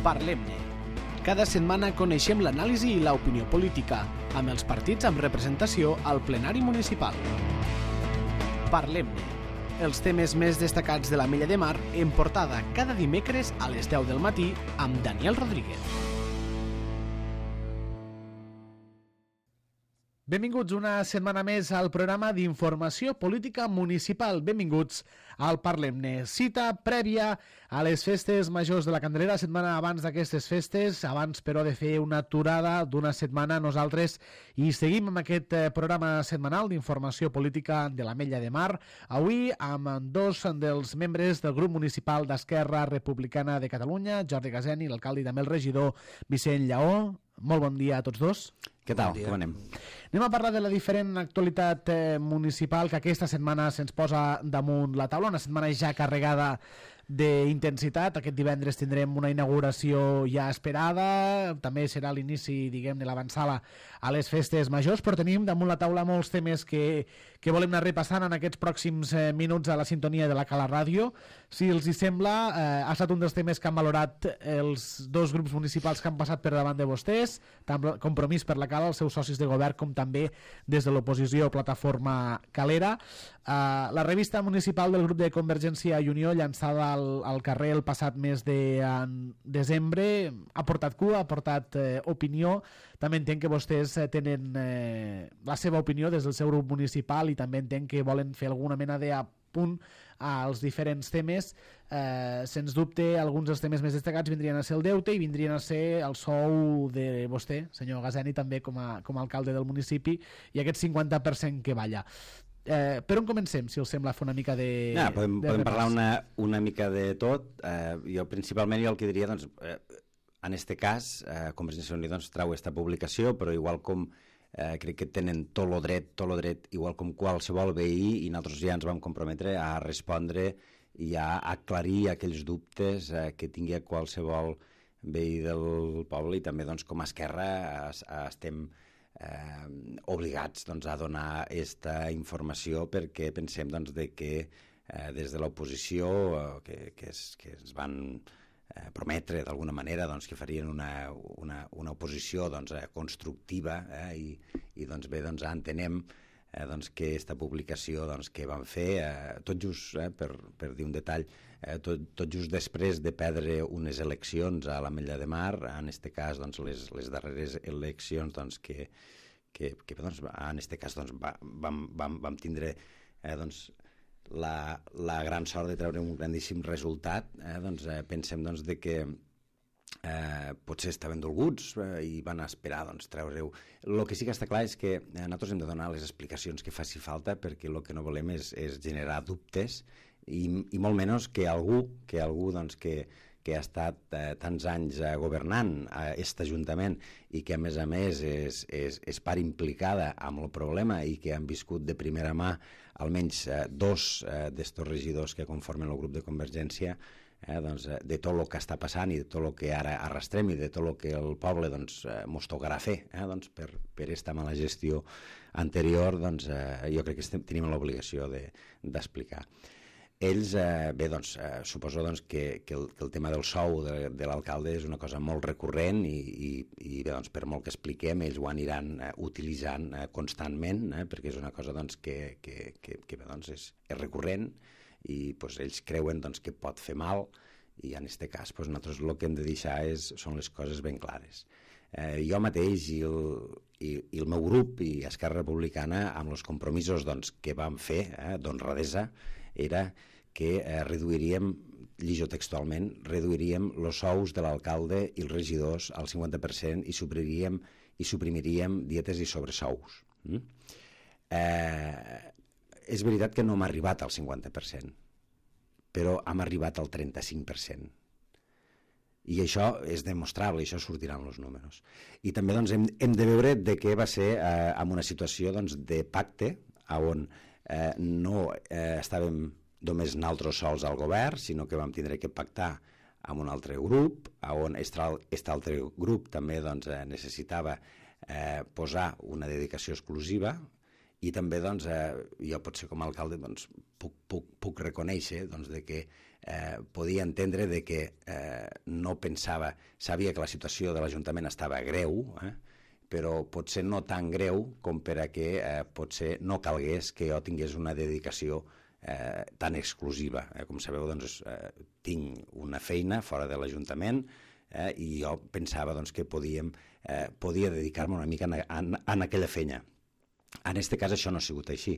Parlem-ne. Cada setmana coneixem l'anàlisi i l'opinió política, amb els partits amb representació al plenari municipal. Parlem-ne. Els temes més destacats de l'Ametlla de Mar en portada cada dimecres a les 10 del matí amb Daniel Rodríguez. Benvinguts una setmana més al programa d'informació política municipal. Benvinguts al Parlem-ne. Cita prèvia a les festes majors de la Candelera, setmana abans d'aquestes festes, abans però de fer una aturada d'una setmana, nosaltres hi seguim amb aquest programa setmanal d'informació política de l'Ametlla de Mar. Avui amb dos dels membres del grup municipal d'Esquerra Republicana de Catalunya, Jordi Gazeni, l'alcalde i també el regidor Vicent Lleó. Molt bon dia a tots dos. Què tal? Com anem? Anem a parlar de la diferent actualitat municipal que aquesta setmana se'ns posa damunt la taula, una setmana ja carregada d'intensitat. Aquest divendres tindrem una inauguració ja esperada, també serà l'inici, diguem-ne, l'avançada a les festes majors, però tenim damunt la taula molts temes que volem anar repassant en aquests pròxims minuts a la sintonia de la Cala Ràdio. Si els hi sembla, ha estat un dels temes que han valorat els dos grups municipals que han passat per davant de vostès, tant Compromís per la Cala, els seus socis de govern, com també des de l'oposició Plataforma Calera. La revista municipal del grup de Convergència i Unió, llançada al carrer el passat mes de desembre, ha portat cua, ha portat opinió. També entenc que vostès tenen la seva opinió des del seu grup municipal i també entenc que volen fer alguna mena d'apunt als diferents temes. Sens dubte, alguns dels temes més destacats vindrien a ser el deute i vindrien a ser el sou de vostè, senyor Gazeni, també com a alcalde del municipi, i aquest 50% que balla. Per on comencem, si us sembla, fer una mica de... Podem parlar una mica de tot. Jo principalment el que diria, doncs, en aquest cas, Convergència i Unió trau aquesta publicació, però igual com crec que tenen tot el dret, igual com qualsevol veí, i nosaltres ja ens vam comprometre a respondre i a aclarir aquells dubtes que tingui qualsevol veí del poble, i també doncs, com a Esquerra estem obligats a donar aquesta informació, perquè pensem que des de l'oposició que ens van prometre d'alguna manera que farien una oposició constructiva, i entenem que aquesta publicació que van fer tot just, per dir un detall, tot just després de perdre unes eleccions a l'Ametlla de Mar, en aquest cas les darreres eleccions que en aquest cas vam tindre la gran sort de treure un grandíssim resultat. Pensem que potser estaven dolguts i van esperar treure-ho. El que sí que està clar és que nosaltres hem de donar les explicacions que faci falta, perquè el que no volem és generar dubtes i molt menys que algú que ha estat tants anys governant aquest Ajuntament i que a més és part implicada amb el problema i que han viscut de primera mà almenys dos d'estos regidors que conformen el grup de Convergència, de tot el que està passant i de tot el que ara arrastrem i de tot el que el poble mos tocarà fer per aquesta mala gestió anterior. Jo crec que tenim l'obligació d'explicar. Ells, suposo que el tema del sou de l'alcalde és una cosa molt recurrent i per molt que expliquem, ells ho aniran utilitzant constantment, perquè és una cosa que és recurrent i ells creuen que pot fer mal, i en aquest cas nosaltres el que hem de deixar són les coses ben clares. Jo mateix i el meu grup i Esquerra Republicana, amb els compromisos que vam fer d'honradesa, era que reduiríem, lligo textualment, els sous de l'alcalde i els regidors al 50% i suprimiríem dietes i sobresous. És veritat que no hem arribat al 50%, però hem arribat al 35%. I això és demostrable, això sortirà en els números. I també hem de veure que va ser en una situació de pacte, on no estàvem només nosaltres sols al govern, sinó que vam tindre que pactar amb un altre grup, on aquest altre grup també necessitava posar una dedicació exclusiva, I també doncs, jo potser com a alcalde doncs, puc reconèixer doncs, de que podia entendre de que no pensava, sabia que la situació de l'Ajuntament estava greu, però potser no tan greu com per a que potser no calgués que jo tingués una dedicació tan exclusiva. Com sabeu, doncs, tinc una feina fora de l'Ajuntament i jo pensava doncs, que podia dedicar-me una mica a aquella feina. En aquest cas això no ha sigut així,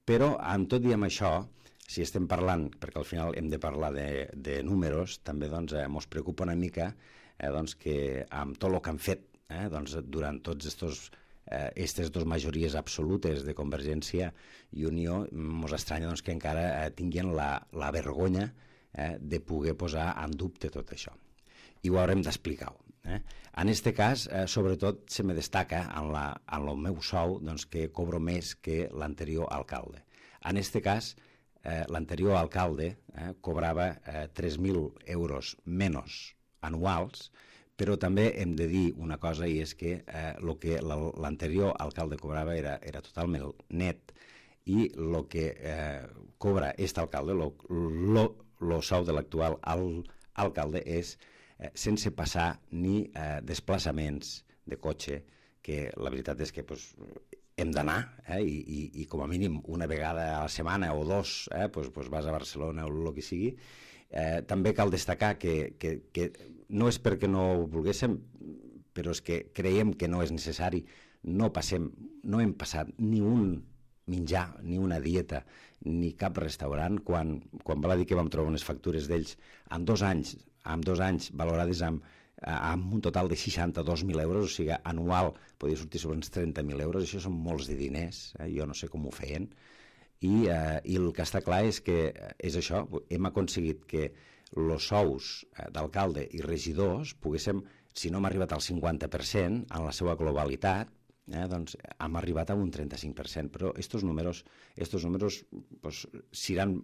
però amb tot i amb això, si estem parlant, perquè al final hem de parlar de números, també doncs, ens preocupa una mica doncs, que amb tot el que han fet doncs, durant tots aquestes dues majories absolutes de Convergència i Unió, ens estranya doncs, que encara tinguin la vergonya de poder posar en dubte tot això. I ho haurem d'explicar. En aquest cas, sobretot, se me destaca en el meu sou doncs, que cobro més que l'anterior alcalde. En aquest cas, l'anterior alcalde cobrava 3.000 euros menys anuals, però també hem de dir una cosa, i és que el que l'anterior alcalde cobrava era totalment net, i el que cobra aquest alcalde, el sou de l'actual alcalde, és sense passar ni desplaçaments de cotxe, que la veritat és que hem d'anar, i com a mínim una vegada a la setmana o dos vas a Barcelona o el que sigui. També cal destacar que no és perquè no ho volguéssim, però és que creiem que no és necessari. No hem passat ni un menjar, ni una dieta, ni cap restaurant, quan val a dir que vam trobar unes factures d'ells en 2 anys valorades amb un total de 62.000 euros, o sigui, anual podia sortir sobre uns 30.000 euros, això són molts de diners, jo no sé com ho feien, i el que està clar és que és això, hem aconseguit que els sous d'alcalde i regidors poguéssim, si no hem arribat al 50% en la seva globalitat, doncs hem arribat a un 35%, però aquests números seran,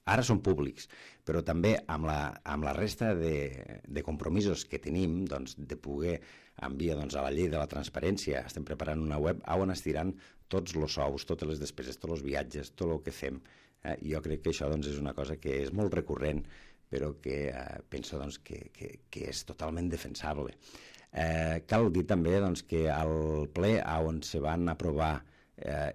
ara són públics, però també amb la resta de compromisos que tenim, doncs, de poder enviar a la llei de la transparència, estem preparant una web on es diran tots els sous, totes les despeses, tots els viatges, tot el que fem. Jo crec que això doncs, és una cosa que és molt recurrent, però que penso doncs, que és totalment defensable. Cal dir també doncs, que al ple on se van aprovar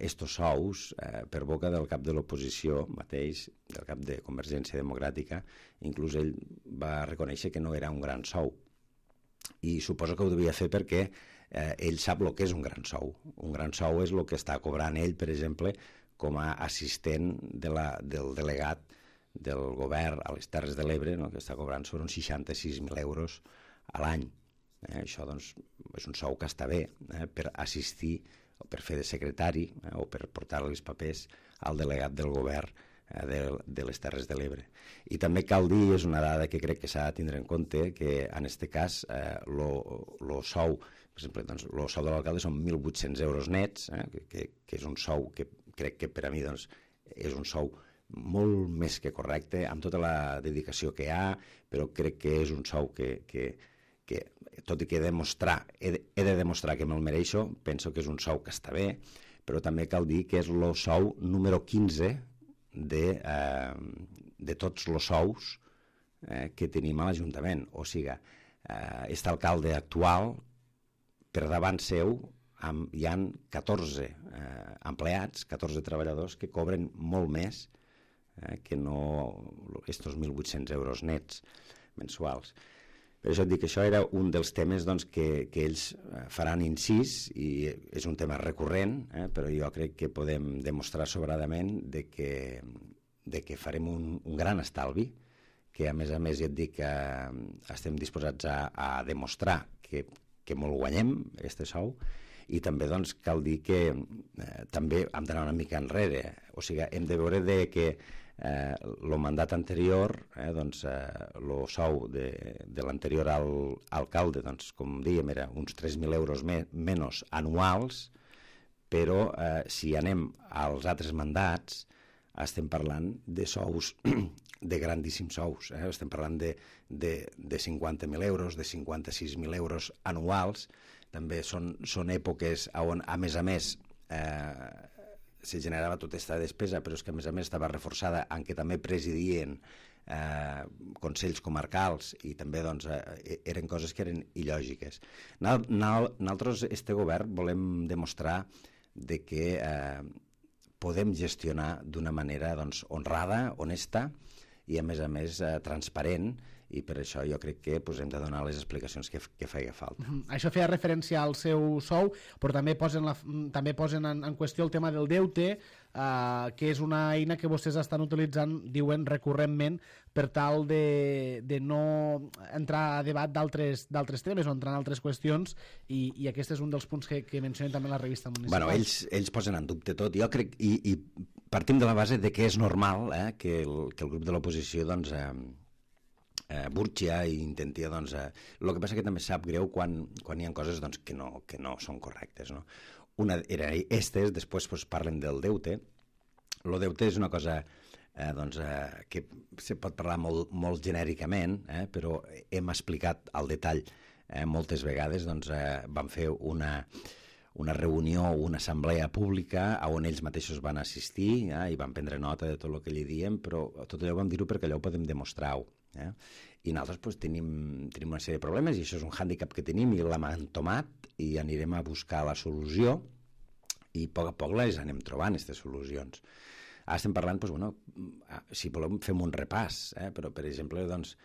estos sous per boca del cap de l'oposició mateix, del cap de Convergència Democràtica, inclús ell va reconèixer que no era un gran sou, i suposo que ho devia fer perquè ell sap el que és un gran sou. Un gran sou és el que està cobrant ell, per exemple, com a assistent del delegat del govern a les Terres de l'Ebre, que està cobrant sobre uns 66.000 euros a l'any. Això doncs, és un sou que està bé per assistir o per fer de secretari o per portar els papers al delegat del govern de les Terres de l'Ebre. I també cal dir, és una dada que crec que s'ha de tindre en compte, que en aquest cas el sou, per exemple, doncs, el sou de l'alcalde són 1.800 euros nets, que és un sou que crec que per a mi doncs, és un sou molt més que correcte, amb tota la dedicació que hi ha, però crec que és un sou que tot i que he de demostrar que me'l mereixo, penso que és un sou que està bé, però també cal dir que és el sou número 15 de tots els sous que tenim a l'Ajuntament. O sigui, aquest alcalde actual, per davant seu, hi han 14 empleats, 14 treballadors que cobren molt més que no aquests 1.800 euros nets mensuals. Per això et dic que això era un dels temes doncs, que ells faran incís, i és un tema recurrent, però jo crec que podem demostrar sobradament de que farem un gran estalvi, que a més ja et dic que estem disposats a demostrar que molt guanyem, aquest sou, i també doncs, cal dir que també hem d'anar una mica enrere, o sigui, hem de veure que el mandat anterior, el sou de l'anterior alcalde, doncs, com dèiem, era uns 3.000 euros menys anuals, però si anem als altres mandats, estem parlant de sous, de grandíssims sous. Estem parlant de 50.000 euros, de 56.000 euros anuals. També són èpoques on, a més, se generava tota aquesta despesa, però és que a més estava reforçada en què també presidien consells comarcals i també doncs, eren coses que eren il·lògiques. Nosaltres, este govern, volem demostrar de que podem gestionar d'una manera doncs, honrada, honesta i a més transparent, i per això jo crec que hem de donar les explicacions que feia falta. Això feia referència al seu sou, però també posen en qüestió el tema del deute, que és una eina que vostès estan utilitzant, diuen, recurrentment, per tal de no entrar a debat d'altres temes o entrar en altres qüestions, i aquest és un dels punts que mencionen també en la revista municipal. Bueno, ells posen en dubte tot. Jo crec, i partim de la base de que és normal que el grup de l'oposició doncs, burxia i intentia, doncs... el que passa que també sap greu quan hi ha coses doncs, que no són correctes, no? Una era estes, després doncs, parlen del deute. El deute és una cosa que se pot parlar molt genèricament, però hem explicat al detall moltes vegades. Doncs, vam fer una reunió, una assemblea pública on ells mateixos van assistir i van prendre nota de tot el que li diem, però tot allò vam dir-ho perquè allò ho podem demostrar-ho. I nosaltres doncs, tenim una sèrie de problemes i això és un hàndicap que tenim i l'hem entomat i anirem a buscar la solució i a poc les anem trobant, aquestes solucions. Ara estem parlant, doncs, bueno, si volem fem un repàs, però per exemple doncs,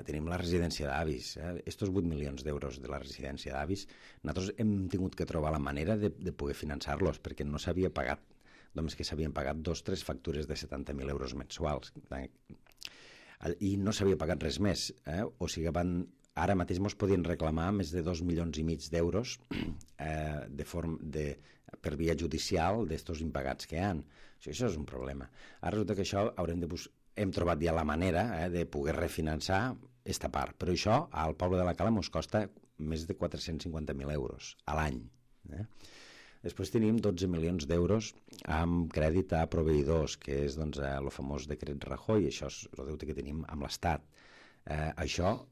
tenim la residència d'avis, estos 8 milions d'euros de la residència d'avis, nosaltres hem tingut que trobar la manera de poder finançar-los perquè no s'havia pagat, només que s'havien pagat 2 o 3 factures de 70.000 euros mensuals i no s'havia pagat res més, o sigui, ara mateix ens podien reclamar més de 2,5 milions d'euros per via judicial d'estos impagats que hi ha. Això és un problema. Ara resulta que això hem trobat ja la manera de poder refinançar aquesta part, però això al poble de la Cala ens costa més de 450.000 euros a l'any. Després tenim 12 milions d'euros amb crèdit a proveïdors, que és doncs, el famós decret Rajoy, això és el deute que tenim amb l'Estat. Això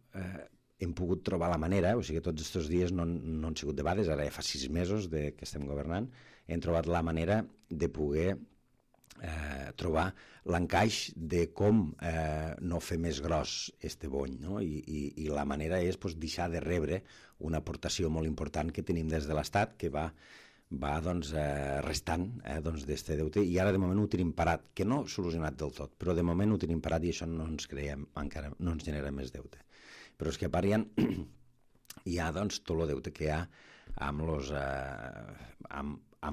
hem pogut trobar la manera, o sigui que tots aquests dies no han sigut debades, ara ja fa 6 mesos que estem governant, hem trobat la manera de poder trobar l'encaix de com no fer més gros este bony, no? I la manera és doncs, deixar de rebre una aportació molt important que tenim des de l'Estat, que va doncs, restant d'este deute, i ara de moment ho tenim parat, que no solucionat del tot, però de moment ho tenim parat i això no ens creiem, encara no ens genera més deute. Però és que a part hi ha doncs, tot el deute que hi ha amb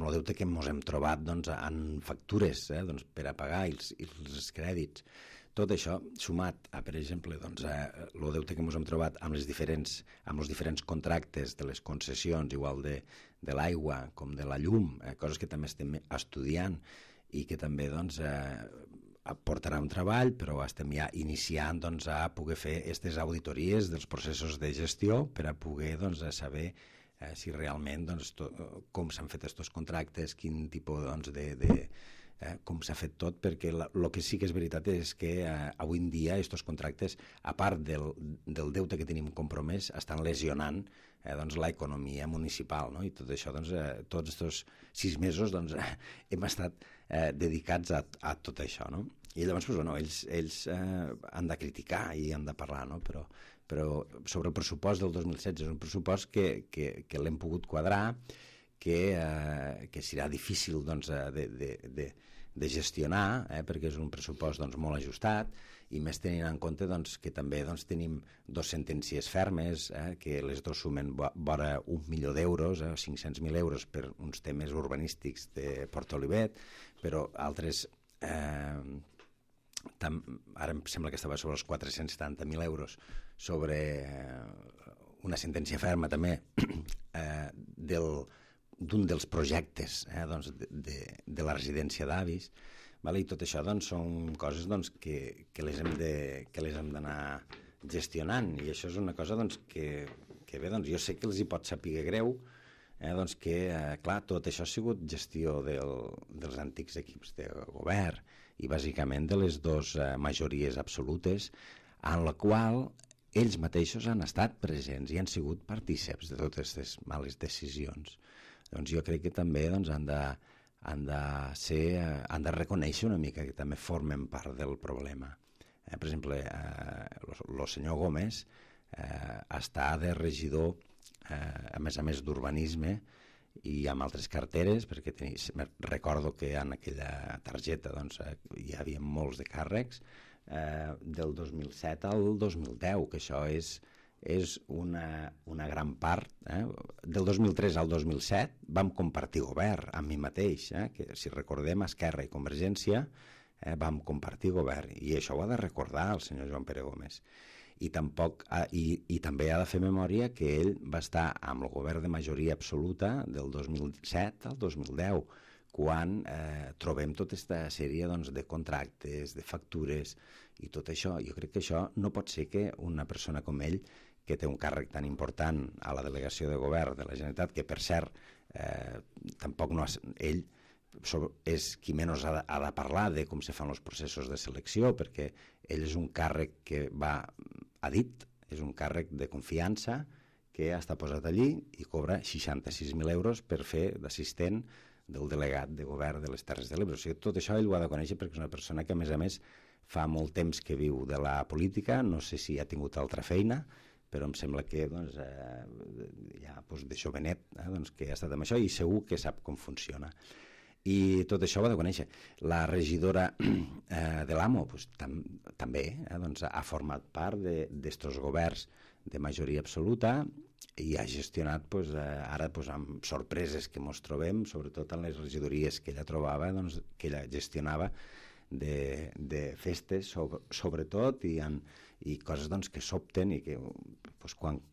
el deute que ens hem trobat doncs, en factures doncs, per a pagar els crèdits. Tot això, sumat a, per exemple, doncs, el deute que ens hem trobat amb els diferents contractes de les concessions, igual de l'aigua com de la llum, coses que també estem estudiant i que també doncs, portarà un treball, però estem ja iniciant doncs, a poder fer aquestes auditories dels processos de gestió per a poder doncs, saber si realment doncs, com s'han fet aquests contractes, quin tipus doncs, com s'ha fet tot, perquè el que sí que és veritat és que avui en dia aquests contractes, a part del deute que tenim compromès, estan lesionant doncs, l'economia municipal, no? I tot això, doncs, tots aquests 6 mesos doncs, hem estat dedicats a tot això, no? I llavors doncs, bueno, ells han de criticar i han de parlar, no? Però sobre el pressupost del 2016 és un pressupost que l'hem pogut quadrar, que serà difícil doncs, de gestionar, perquè és un pressupost doncs, molt ajustat, i més tenint en compte doncs, que també doncs, tenim 2 sentències fermes, que les dues sumen vora 1 milió d'euros, 500.000 euros per uns temes urbanístics de Port Olivet, però altres... ara em sembla que estava sobre els 470.000 euros sobre una sentència ferma també d'un dels projectes doncs, de la residència d'avis, i tot això doncs, són coses doncs, que les hem d'anar gestionant, i això és una cosa doncs, que bé, doncs, jo sé que els hi pot saber greu, doncs que, clar, tot això ha sigut gestió dels antics equips de govern i bàsicament de les dues majories absolutes, en la qual ells mateixos han estat presents i han sigut partíceps de totes aquestes males decisions. Doncs jo crec que també doncs, han han de reconèixer una mica que també formen part del problema. Per exemple, el senyor Gómez està de regidor, a més d'urbanisme, i amb altres carteres, perquè recordo que en aquella targeta doncs, hi havia molts de càrrecs, del 2007 al 2010, que això és una gran part. Del 2003 al 2007 vam compartir govern amb mi mateix, que si recordem Esquerra i Convergència vam compartir govern, i això ho ha de recordar el senyor Joan Pere Gómez. I també ha de fer memòria que ell va estar amb el govern de majoria absoluta del 2007 al 2010, quan trobem tota aquesta sèrie doncs, de contractes, de factures i tot això. Jo crec que això no pot ser que una persona com ell, que té un càrrec tan important a la delegació de govern de la Generalitat, que per cert tampoc no ell és qui menys ha de parlar de com se fan els processos de selecció, perquè ell és un càrrec que ha dit, és un càrrec de confiança que està posat allí i cobra 66.000 euros per fer d'assistent del delegat de govern de les Terres de l'Ebre. O sigui, tot això ell ho ha de conèixer perquè és una persona que, a més, fa molt temps que viu de la política, no sé si ha tingut altra feina, però em sembla que doncs, ja de jovenet doncs, que ha estat amb això i segur que sap com funciona. I tot això ho ha de conèixer. La regidora de l'AMO doncs, també doncs, ha format part d'estos governs de majoria absoluta i ha gestionat doncs, ara doncs, amb sorpreses que ens trobem, sobretot en les regidories que ella trobava, doncs, que ella gestionava de festes, sobretot, i coses doncs, que sobten i que doncs, quan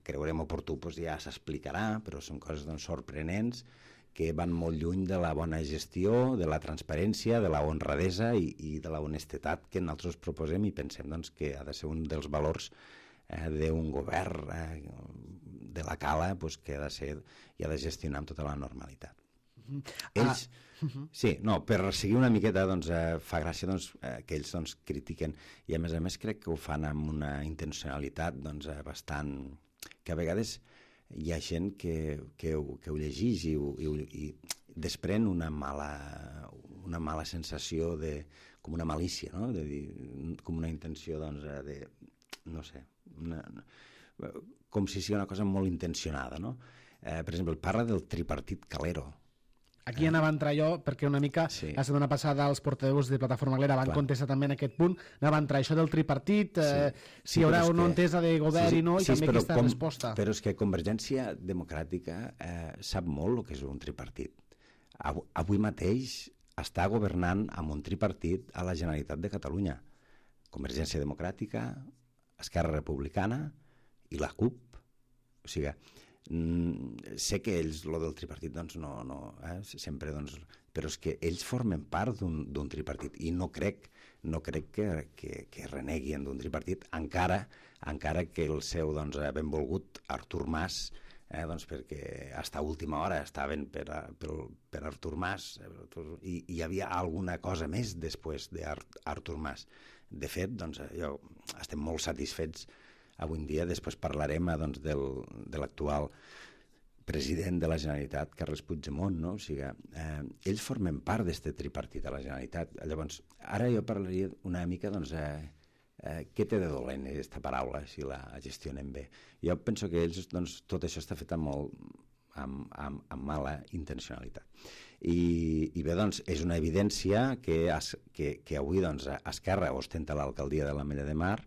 creurem oportú doncs, ja s'explicarà, però són coses doncs, sorprenents que van molt lluny de la bona gestió, de la transparència, de la honradesa i de la honestedat que nosaltres proposem i pensem doncs, que ha de ser un dels valors d'un govern de la cala doncs, que ha de ser i ha de gestionar amb tota la normalitat. Ells, sí, no, per seguir una miqueta doncs, fa gràcia doncs, que ells doncs, critiquen i a més crec que ho fan amb una intencionalitat doncs, bastant... que a vegades hi ha gent que ho llegeix i desprèn una mala sensació com una malícia, no? De dir, com una intenció doncs, de, no sé, com si sigui una cosa molt intencionada, no? Per exemple, parla del tripartit calero. Aquí anava a entrar jo, perquè una mica sí. La setmana passada els portaveus de Plataforma Galera van contestar també en aquest punt, anava a entrar això del tripartit, si hi haurà o no entesa de govern i no, i també aquesta resposta. Però és que Convergència Democràtica sap molt el que és un tripartit. Avui mateix està governant amb un tripartit a la Generalitat de Catalunya. Convergència Democràtica, Esquerra Republicana i la CUP. O sigui, sé que ells, lo del tripartit, doncs no sempre, doncs, però és que ells formen part d'un tripartit i no crec que reneguin d'un tripartit, encara que el seu doncs, benvolgut Artur Mas, doncs perquè fins a última hora estaven per Artur Mas i hi havia alguna cosa més després d'Artur Mas. De fet, doncs, estem molt satisfets avui en dia. Després parlarem doncs, de l'actual president de la Generalitat, Carles Puigdemont, no? O sigui, ells formen part d'aquest tripartit a la Generalitat. Llavors, ara jo parlaria una mica, doncs, què té de dolent aquesta paraula, si la gestionen bé. Jo penso que ells, doncs, tot això està fet amb mala intencionalitat. I bé, doncs, és una evidència que avui doncs, Esquerra ostenta l'alcaldia de l'Ametlla de Mar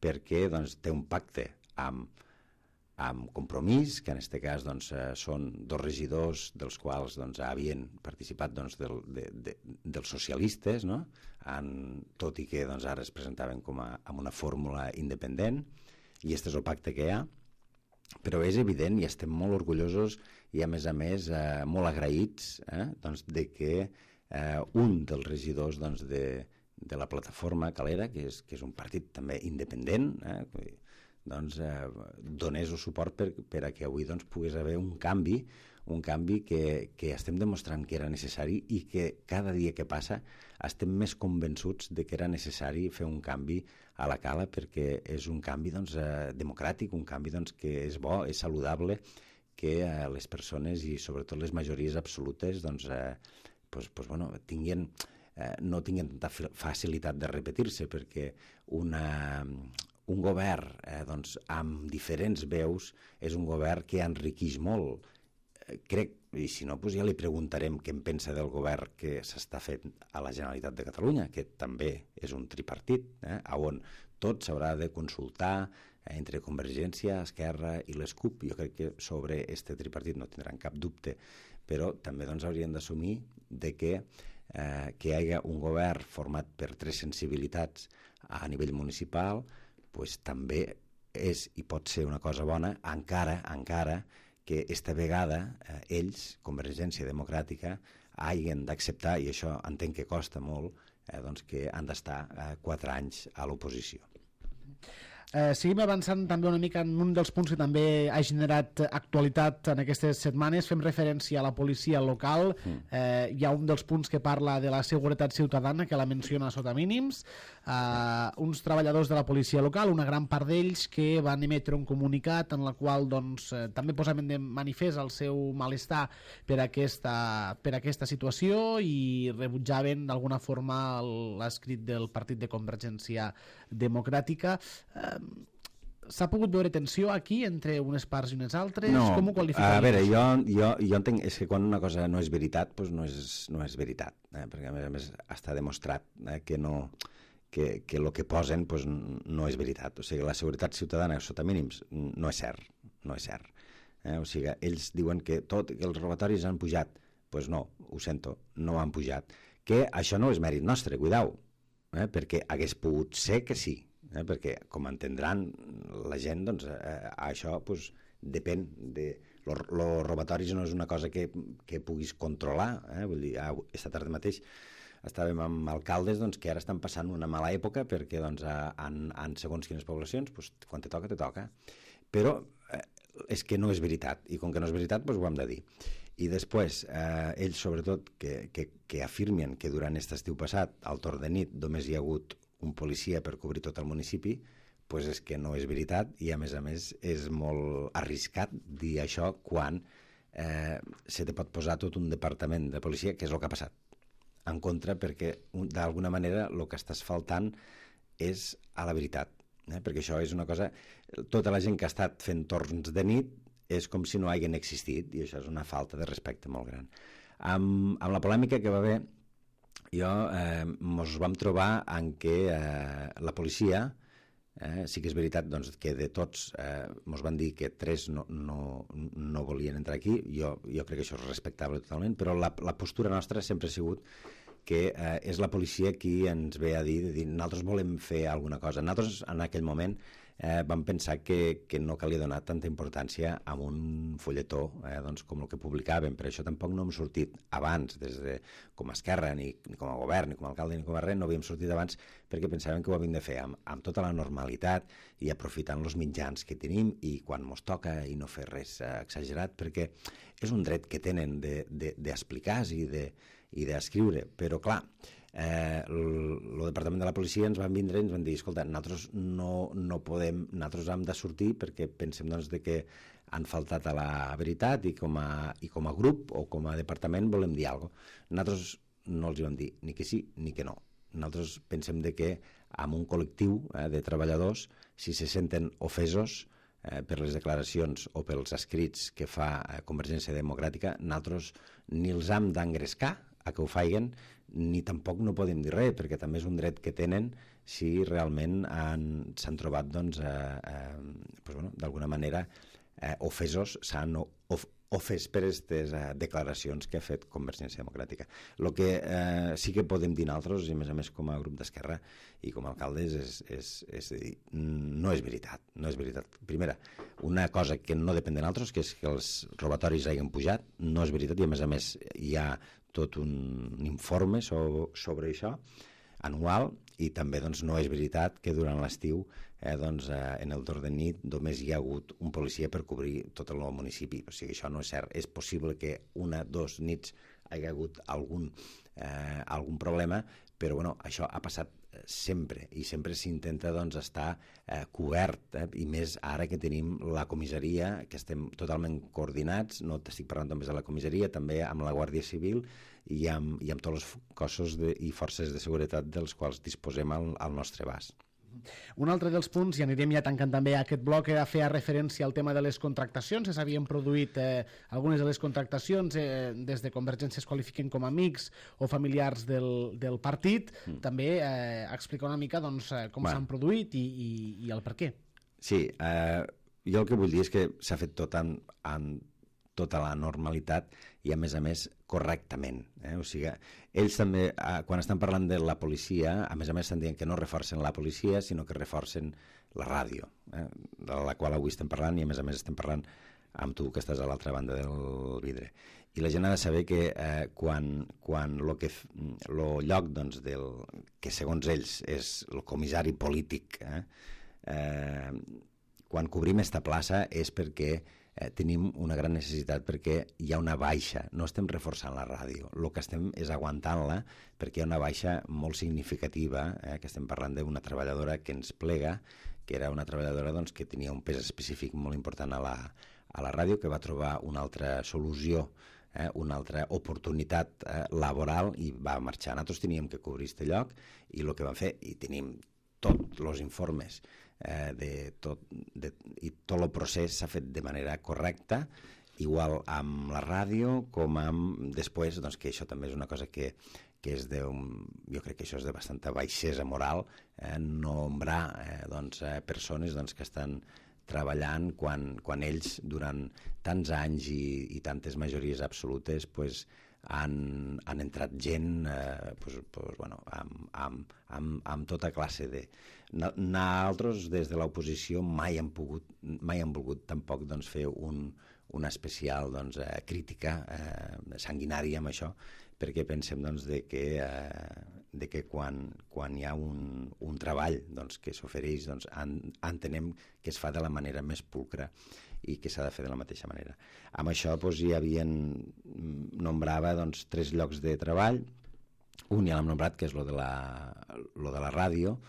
perquè doncs, té un pacte amb Compromís, que en aquest cas doncs, són 2 regidors dels quals doncs, havien participat doncs, dels socialistes, no? Tot i que doncs, ara es presentaven amb una fórmula independent, i aquest és el pacte que hi ha. Però és evident i estem molt orgullosos i a més molt agraïts doncs, de que un dels regidors doncs, de la plataforma Calera, que és un partit també independent, doncs, donés el suport per a que avui doncs, pogués haver un canvi que estem demostrant que era necessari i que cada dia que passa estem més convençuts de que era necessari fer un canvi a la cala, perquè és un canvi doncs, democràtic, un canvi doncs, que és bo, és saludable, que les persones i sobretot les majories absolutes doncs, no tinguin tanta facilitat de repetir-se, perquè un govern doncs, amb diferents veus és un govern que enriqueix molt. Crec, i si no, doncs ja li preguntarem què en pensa del govern que s'està fent a la Generalitat de Catalunya, que també és un tripartit, on tot s'haurà de consultar entre Convergència, Esquerra i les CUP. Jo crec que sobre este tripartit no tindran cap dubte, però també doncs, haurien d'assumir de que hi hagi un govern format per tres sensibilitats a nivell municipal pues, també és i pot ser una cosa bona, encara que esta vegada ells, Convergència Democràtica, hagin d'acceptar, i això entenc que costa molt, doncs que han d'estar 4 anys a l'oposició. Seguim avançant també una mica en un dels punts que també ha generat actualitat en aquestes setmanes. Fem referència a la policia local. Hi ha un dels punts que parla de la seguretat ciutadana, que la menciona sota mínims. Uns treballadors de la policia local, una gran part d'ells, que van emetre un comunicat en la qual doncs, també posaven de manifest el seu malestar per aquesta situació i rebutjaven d'alguna forma l'escrit del Partit de Convergència Democràtica. S'ha pogut veure tensió aquí entre unes parts i unes altres? No, com ho qualificaries? a veure, jo entenc és que quan una cosa no és veritat, doncs no és veritat, perquè a més està demostrat que el que posen doncs, no és veritat. O sigui, la seguretat ciutadana sota mínims no és cert, no és cert. O sigui, ells diuen que els robatoris han pujat. Doncs no, ho sento, no han pujat. Que això no és mèrit nostre, cuidao, perquè hagués pogut ser que sí. Perquè, com entendran la gent, doncs, això doncs, depèn de... Los robatoris no és una cosa que puguis controlar. Vull dir, esta tarda mateix estàvem amb alcaldes doncs, que ara estan passant una mala època perquè doncs, en segons quines poblacions, doncs, quan te toca. Però és que no és veritat, i com que no és veritat, doncs, ho hem de dir. I després, ells sobretot que afirmen que durant aquest estiu passat, al torn de nit, només hi ha hagut un policia per cobrir tot el municipi, doncs és que no és veritat i a més és molt arriscat dir això quan se te pot posar tot un departament de policia, que és el que ha passat, en contra, perquè d'alguna manera el que estàs faltant és a la veritat, perquè això és una cosa... Tota la gent que ha estat fent torns de nit és com si no haguin existit i això és una falta de respecte molt gran. Amb la polèmica que va haver ens vam trobar en què la policia, sí que és veritat doncs, que de tots ens van dir que 3 no volien entrar aquí, jo crec que això és respectable totalment, però la postura nostra sempre ha sigut que és la policia qui ens ve a dir nosaltres volem fer alguna cosa. Nosaltres en aquell moment vam pensar que no calia donar tanta importància a un fulletó doncs, com el que publicàvem. Per això tampoc no hem sortit abans, com a Esquerra, ni com a govern, ni com a alcalde, ni com a res, no havíem sortit abans perquè pensàvem que ho havíem de fer amb tota la normalitat i aprofitant els mitjans que tenim i quan mos toca i no fer res exagerat, perquè és un dret que tenen d'explicar-se i d'escriure, però clar, el departament de la policia ens van vindre i ens van dir, escolta, nosaltres no podem, nosaltres hem de sortir perquè pensem doncs, que han faltat a la veritat i com a grup o com a departament volem dir alguna cosa. Nosaltres no els hi vam dir ni que sí ni que no. Nosaltres pensem que amb un col·lectiu de treballadors, si se senten ofesos per les declaracions o pels escrits que fa Convergència Democràtica, nosaltres ni els hem d'engrescar a que ho faiguen, ni tampoc no podem dir res, perquè també és un dret que tenen si realment s'han trobat d'alguna manera ofesos, s'han ofès per aquestes declaracions que ha fet Convergència Democràtica. El que sí que podem dir nosaltres, i a més com a grup d'Esquerra i com a alcaldes, és dir, no és veritat. No és veritat. Primera, una cosa que no depèn de nosaltres, que és que els robatoris hagin pujat, no és veritat, i a més hi ha tot un informe sobre això anual, i també doncs, no és veritat que durant l'estiu en el torn de nit només hi ha hagut un policia per cobrir tot el municipi. O sigui, això no és cert. És possible que 1 o 2 nits hi hagi hagut algun problema, però bueno, això ha passat sempre, i sempre s'intenta doncs, estar cobert, i més ara que tenim la comissaria, que estem totalment coordinats, no t'estic parlant només de la comissaria, també amb la Guàrdia Civil i amb tots els cossos i forces de seguretat dels quals disposem al nostre abast. Un altre dels punts, i anirem ja tancant també aquest bloc, era fer referència al tema de les contractacions. S'havien produït algunes de les contractacions, des de Convergència es qualifiquen com amics o familiars del partit. També explicar una mica doncs, com s'han produït i el per què. Sí, jo el que vull dir és que s'ha fet tot en tota la normalitat i a més correctament. O sigui, ells també, quan estan parlant de la policia, a més estan dient que no reforcen la policia, sinó que reforcen la ràdio, de la qual avui estem parlant, i a més estem parlant amb tu que estàs a l'altra banda del vidre. I la gent ha de saber que quan el lloc doncs, que segons ells és el comissari polític, quan cobrim esta plaça és perquè tenim una gran necessitat, perquè hi ha una baixa, no estem reforçant la ràdio, el que estem és aguantant-la perquè hi ha una baixa molt significativa, que estem parlant d'una treballadora que ens plega, que era una treballadora doncs, que tenia un pes específic molt important a la ràdio, que va trobar una altra solució, una altra oportunitat laboral i va marxar. Nosaltres teníem que cobrir aquest lloc i el que vam fer, i tenim tots els informes i tot el procés s'ha fet de manera correcta, igual amb la ràdio com amb després, doncs, que això també és una cosa que és jo crec que això és de bastanta baixesa moral, nombrar persones que estan treballant quan ells durant tants anys i tantes majories absolutes han entrat gent amb tota classe de... Nosaltres des de l'oposició mai hem volgut tampoc fer una especial crítica sanguinària amb això, perquè pensem de que quan hi ha un treball que s'ofereix, entenem que es fa de la manera més pulcra i que s'ha de fer de la mateixa manera. Amb això hi havien nombrava 3 llocs de treball. Un ja l'hem nombrat, que és lo de la ràdio,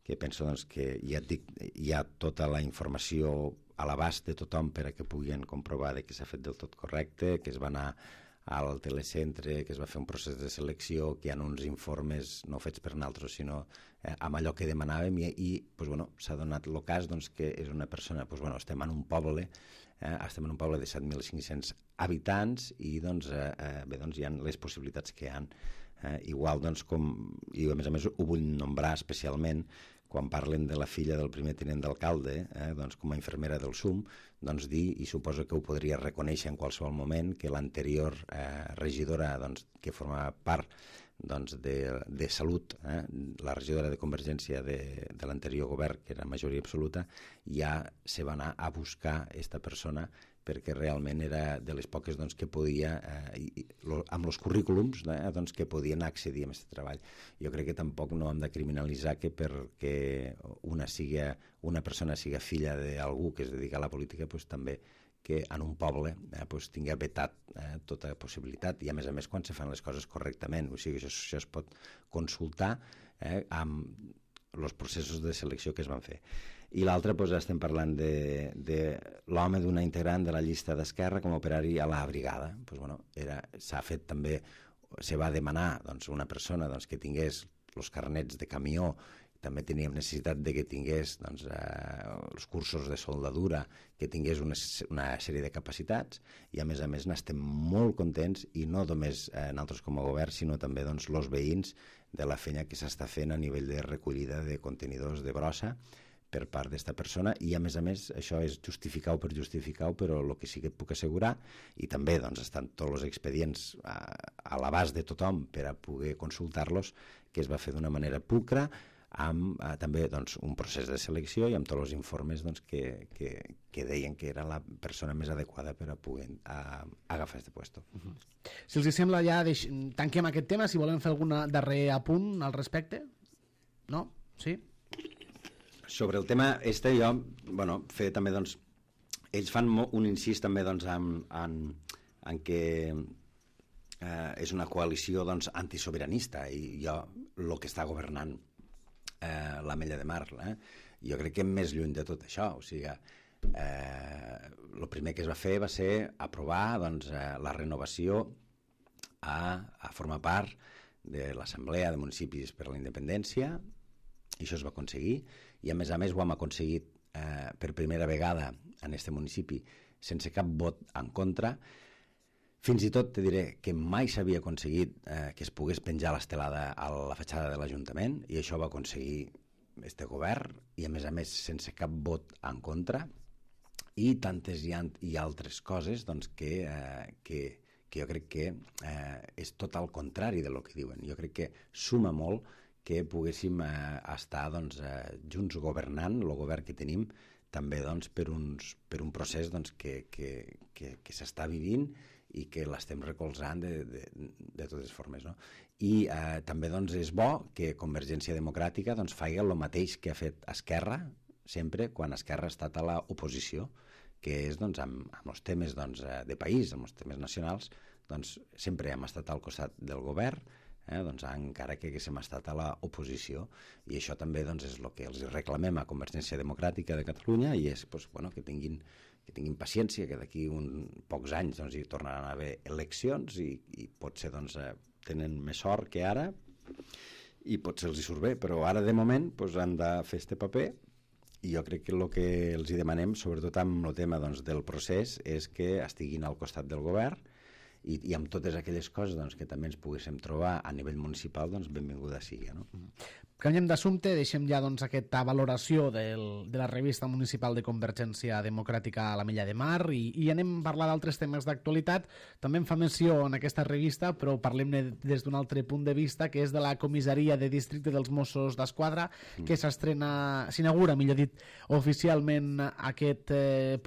que penso que hi ha tota la informació a l'abast de tothom per a que puguin comprovar que s'ha fet del tot correcte, que es va anar al telecentre, que es va fer un procés de selecció, que hi ha uns informes no fets per nosaltres, sinó amb allò que demanàvem, i s'ha donat el cas que és una persona, estem en un poble de 7.500 habitants i hi ha les possibilitats que hi ha. Igual i a més ho vull nombrar especialment quan parlen de la filla del primer tinent d'alcalde, com a infermera del SUM, dir, i suposo que ho podria reconèixer en qualsevol moment, que l'anterior regidora que formava part de Salut, la regidora de Convergència de l'anterior govern, que era majoria absoluta, ja se va anar a buscar aquesta persona perquè realment era de les poques que podia, amb els currículums, que podien accedir a aquest treball. Jo crec que tampoc no hem de criminalitzar que perquè una persona siga filla d'algú que es dedica a la política, també que en un poble tingui vetat tota possibilitat, i a més quan se fan les coses correctament. O sigui, això es pot consultar amb els processos de selecció que es van fer. I l'altre, estem parlant de l'home d'una integrant de la llista d'Esquerra com a operari a la brigada. S'ha fet també, se va demanar una persona que tingués els carnets de camió, també teníem necessitat que tingués els cursos de soldadura, que tingués una sèrie de capacitats, i a més n'estem molt contents, i no només nosaltres com a govern, sinó també els veïns de la feina que s'està fent a nivell de recollida de contenidors de brossa per part d'esta persona, i a més això és justificar-ho per justificar-ho, però el que sí que et puc assegurar, i també estan tots els expedients a l'abast de tothom per a poder consultar-los, que es va fer d'una manera pulcra, amb també un procés de selecció i amb tots els informes que deien que era la persona més adequada per a poder agafar aquest puesto. Si els sembla, ja tanquem aquest tema, si volem fer algun darrer apunt al respecte. No? Sí? Sobre el tema jo, fer també, ells fan un incís també en que és una coalició doncs, antisobiranista i el que està governant l'Ametlla de Mar. Jo crec que més lluny de tot això. O sigui, el primer que es va fer va ser aprovar doncs, la renovació a formar part de l'Assemblea de Municipis per a la Independència, i això es va aconseguir, i a més ho hem aconseguit per primera vegada en este municipi sense cap vot en contra. Fins i tot te diré que mai s'havia aconseguit que es pogués penjar l'estelada a la fatxada de l'Ajuntament, i això va aconseguir este govern, i a més sense cap vot en contra, i tantes i altres coses doncs, que jo crec que és tot el contrari del que diuen. Jo crec que suma molt que poguéssim estar doncs, junts governant, el govern que tenim, també doncs, per un procés doncs, que s'està vivint i que l'estem recolzant de totes formes. No? I també doncs, és bo que Convergència Democràtica doncs, faci el mateix que ha fet Esquerra sempre quan Esquerra ha estat a l'oposició, que és doncs, amb els temes doncs, de país, amb els temes nacionals, doncs, sempre hem estat al costat del govern, doncs, encara que haguéssim estat a l'oposició, i això també doncs, és el que els reclamem a Convergència Democràtica de Catalunya, i és doncs, bueno, que tinguin paciència, que d'aquí pocs anys doncs, hi tornaran a haver eleccions i potser doncs, tenen més sort que ara i potser els hi surt bé, però ara de moment doncs, han de fer este paper, i jo crec que el que els hi demanem, sobretot amb el tema doncs, del procés, és que estiguin al costat del govern i amb totes aquelles coses doncs, que també ens poguéssim trobar a nivell municipal, doncs benvinguda sigui. No? Canviem d'assumpte, deixem ja doncs, aquesta valoració de la revista municipal de Convergència Democràtica a l'Ametlla de Mar i anem a parlar d'altres temes d'actualitat. També en fa menció en aquesta revista, però parlem-ne des d'un altre punt de vista, que és de la comissaria de districte dels Mossos d'Esquadra, que s'inaugura, millor dit, oficialment aquest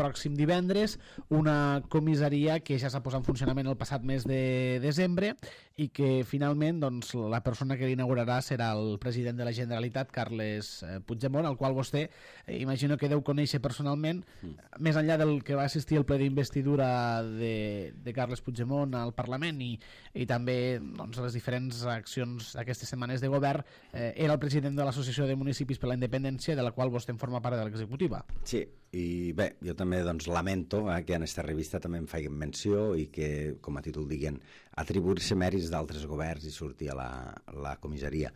pròxim divendres, una comissaria que ja s'ha posat en funcionament el passat mes de desembre i que finalment doncs, la persona que l'inaugurarà serà el president de la Generalitat, Carles Puigdemont, al qual vostè imagino que deu conèixer personalment, més enllà del que va assistir al ple d'investidura de Carles Puigdemont al Parlament i també doncs, les diferents accions d'aquestes setmanes de govern, era el president de l'Associació de Municipis per la Independència, de la qual vostè en forma part de l'executiva. Sí, i bé, jo també doncs, lamento que en aquesta revista també em facin menció i que, com a títol diguen, atribuir-se mèrits d'altres governs i sortir a la comissaria.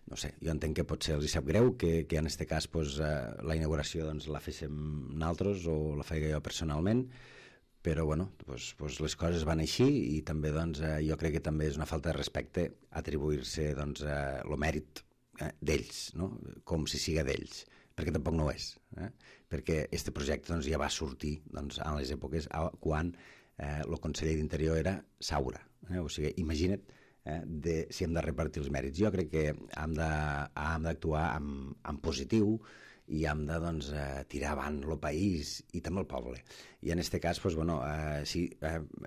No sé, jo entenc que potser els hi sap greu que en aquest cas pues, la inauguració doncs, la féssim nosaltres o la feia jo personalment, però bueno, pues les coses van així i també doncs, jo crec que també és una falta de respecte atribuir-se doncs, el mèrit d'ells, no? Com si siga d'ells, perquè tampoc no ho és, perquè este projecte doncs, ja va sortir doncs, en les èpoques quan el conseller d'Interior era Saura, o sigui, imagina't si hem de repartir els mèrits. Jo crec que hem d'actuar en positiu i hem de doncs, tirar avant el país i també el poble. I en aquest cas, doncs, bueno, sí,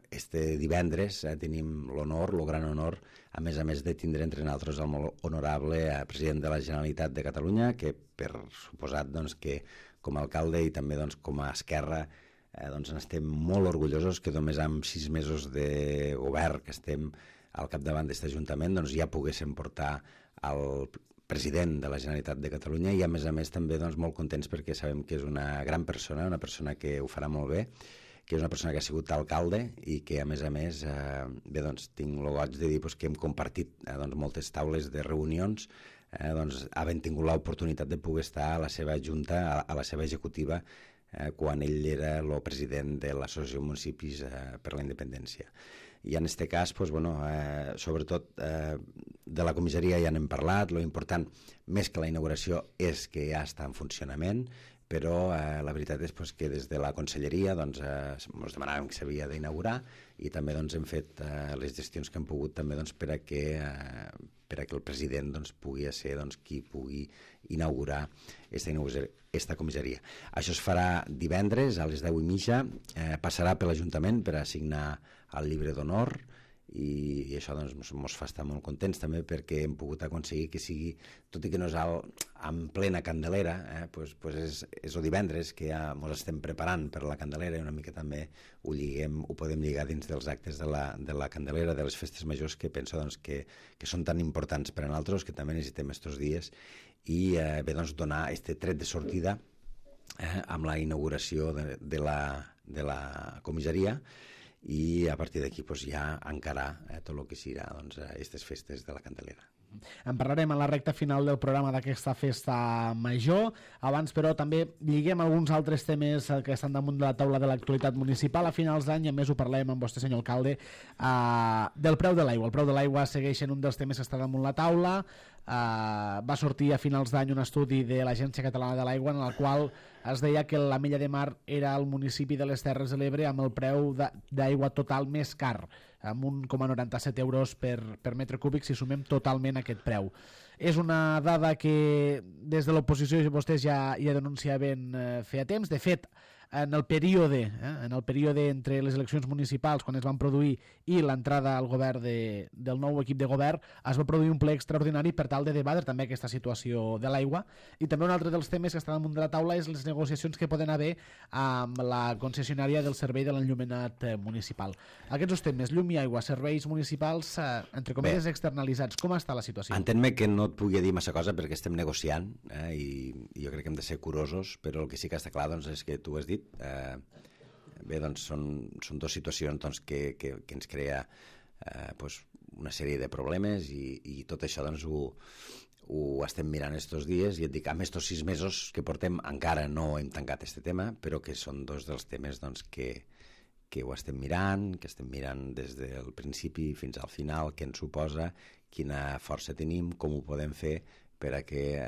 este divendres tenim l'honor, el gran honor, a més de tindre entre nosaltres el molt honorable president de la Generalitat de Catalunya, que per suposat doncs, que com a alcalde i també doncs, com a Esquerra doncs, estem molt orgullosos que només amb 6 mesos de govern que estem al capdavant d'aquest Ajuntament doncs, ja poguéssim portar el president de la Generalitat de Catalunya i a més també doncs, molt contents perquè sabem que és una gran persona, una persona que ho farà molt bé, que és una persona que ha sigut alcalde i que a més bé, doncs, tinc el goig de dir doncs, que hem compartit doncs, moltes taules de reunions doncs, havent tingut l'oportunitat de poder estar a la seva junta, a la seva executiva quan ell era el president de l'Associació de Municipis per la Independència. I en aquest cas, doncs, bueno, sobretot de la comissaria ja n'hem parlat, lo important, més que la inauguració, és que ja està en funcionament, però la veritat és doncs, que des de la conselleria doncs, ens demanàvem que s'havia d'inaugurar i també doncs, hem fet les gestions que hem pogut també doncs, per a que el president doncs, pugui ser doncs, qui pugui inaugurar aquesta comissaria. Això es farà divendres a les 10:30, passarà per l'Ajuntament per a signar el llibre d'honor i això doncs, ens fa estar molt contents també perquè hem pogut aconseguir que sigui, tot i que no és en plena Candelera, pues és el divendres que ja ens estem preparant per la Candelera i una mica també ho podem lligar dins dels actes de la Candelera, de les festes majors, que penso doncs, que són tan importants per a nosaltres, que també necessitem aquests dies, i bé, doncs, donar aquest tret de sortida amb la inauguració de la comissaria, i a partir d'aquí doncs, ja encarar tot el que serà aquestes festes de la Candelera. En parlarem a la recta final del programa d'aquesta festa major. Abans, però, també lliguem alguns altres temes que estan damunt de la taula de l'actualitat municipal. A finals d'any, a més, ho parlem amb vostè, senyor alcalde, del preu de l'aigua. El preu de l'aigua segueix en un dels temes que està damunt la taula. Va sortir a finals d'any un estudi de l'Agència Catalana de l'Aigua en el qual es deia que l'Ametlla de Mar era el municipi de les Terres de l'Ebre amb el preu d'aigua total més car, amb 1,97 euros per metre cúbic si sumem totalment aquest preu. És una dada que des de l'oposició vostès ja denunciaven feia temps. De fet, en el període entre les eleccions municipals, quan es van produir, i l'entrada al govern del nou equip de govern, es va produir un ple extraordinari per tal de debatre també aquesta situació de l'aigua. I també un altre dels temes que està damunt de la taula és les negociacions que poden haver amb la concessionària del servei de l'enllumenat municipal. Aquests temes, llum i aigua, serveis municipals, entre cometes, externalitzats, com està la situació? Entén-me que no et pugui dir massa cosa perquè estem negociant, i jo crec que hem de ser curosos, però el que sí que està clar és que tu has dit, bé, doncs són dues situacions que ens crea una sèrie de problemes, i tot això ho estem mirant estos dies, i et dic, amb estos 6 mesos que portem encara no hem tancat este tema, però que són dos dels temes que ho estem mirant, des del principi fins al final, què ens suposa, quina força tenim, com ho podem fer per a que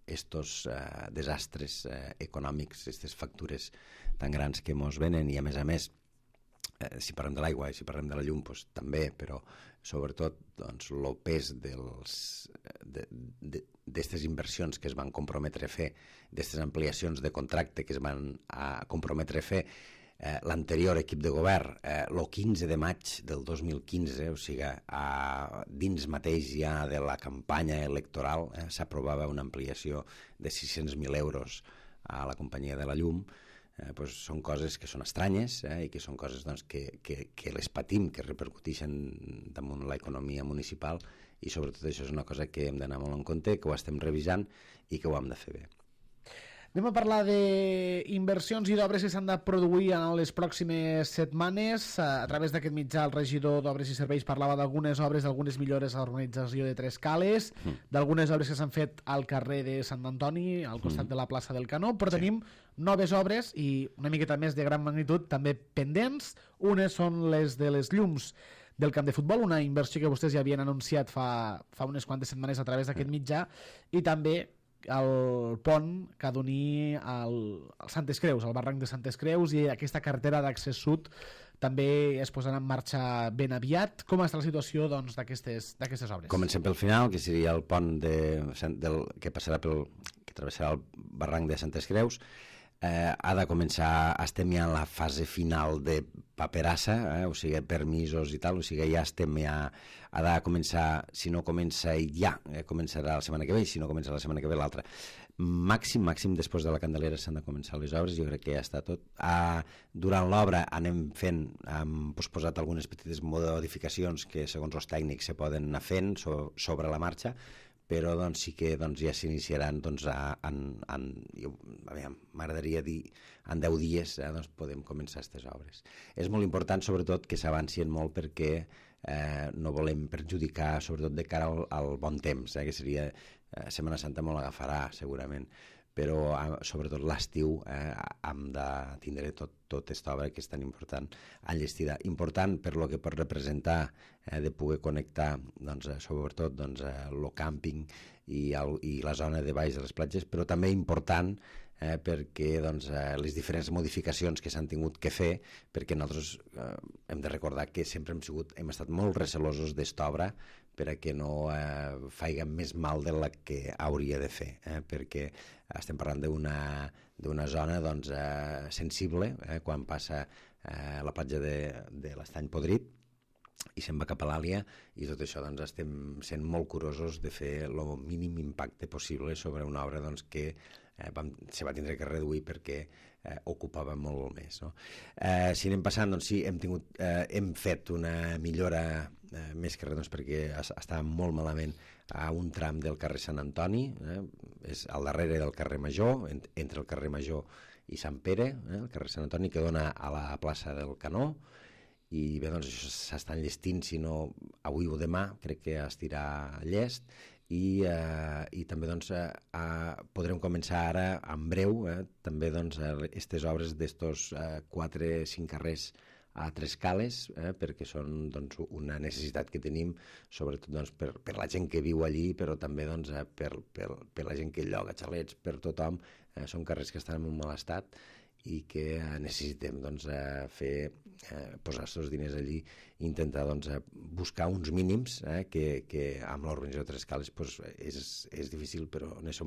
estos desastres econòmics, aquestes factures tan grans que ens venen, i a més, si parlem de l'aigua i si parlem de la llum, doncs, també, però sobretot el pes d'aquestes inversions que es van comprometre a fer, d'aquestes ampliacions de contracte que es van comprometre a fer, l'anterior equip de govern, el 15 de maig del 2015, o sigui, dins mateix ja de la campanya electoral, s'aprovava una ampliació de 600.000 euros a la companyia de la llum. Són coses que són estranyes, i que són coses que les patim, que repercuteixen damunt l'economia municipal, i sobretot això és una cosa que hem d'anar molt en compte, que ho estem revisant i que ho hem de fer bé. Anem a parlar d'inversions i d'obres que s'han de produir en les pròximes setmanes. A través d'aquest mitjà, el regidor d'Obres i Serveis parlava d'algunes obres, d'algunes millores a l'organització de Tres Cales, d'algunes obres que s'han fet al carrer de Sant Antoni, al costat de la plaça del Canó, però tenim noves obres i una miqueta més de gran magnitud també pendents. Unes són les de les llums del camp de futbol, una inversió que vostès ja havien anunciat fa unes quantes setmanes a través d'aquest mitjà, i també el pont que ha d'unir al Santes Creus, al barranc de Santes Creus, i aquesta carretera d'accés sud també es posarà en marxa ben aviat. Com està la situació d'aquestes obres? Comencem pel final, que seria el pont que travessarà el barranc de Santes Creus. Ha de començar, estem ja en la fase final de paperassa, o sigui, permisos i tal, o sigui, ja ha de començar, si no comença ja, començarà la setmana que ve, i si no comença la setmana que ve l'altra. Màxim, després de la Candelera s'han de començar les obres, jo crec que ja està tot. Durant l'obra hem posposat algunes petites modificacions que, segons els tècnics, se poden anar fent sobre la marxa, però sí que ja s'iniciaran, m'agradaria dir, en 10 dies podem començar aquestes obres. És molt important, sobretot, que s'avancien molt perquè no volem perjudicar, sobretot de cara al bon temps, que seria Setmana Santa molt agafarà, segurament, però sobretot l'estiu hem de tindre tota aquesta obra que és tan important enllestida. Important per lo que pot representar de poder connectar sobretot el càmping i la zona de baix de les platges, però també important perquè les diferents modificacions que s'han tingut que fer, perquè nosaltres hem de recordar que sempre hem estat molt recelosos d'esta obra perquè no faiga més mal de la que hauria de fer, perquè estem parlant d'una zona sensible, quan passa la platja de l'Estany Podrit, i se'n va cap a l'Àlia, i tot això doncs, estem sent molt curosos de fer el mínim impacte possible sobre una obra doncs, que se va tindre que reduir perquè ocupava molt més. No? Si anem passant, doncs sí, hem fet una millora més que res doncs, perquè estava molt malament a un tram del carrer Sant Antoni, és al darrere del carrer Major, entre el carrer Major i Sant Pere, el carrer Sant Antoni, que dona a la plaça del Canó, i bé, doncs això s'està enllestint, si no avui o demà, crec que estirà llest, i també doncs, podrem començar ara, en breu, també doncs, aquestes obres d'estos 4-5 carrers a 3 cales, perquè són doncs, una necessitat que tenim, sobretot doncs, per la gent que viu allí, però també doncs, per la gent que lloga xalets, per tothom. Són carrers que estan en un mal estat i que necessitem doncs, posar aquests diners allí i intentar doncs, buscar uns mínims que amb l'organització de 3 cales doncs, és difícil, però és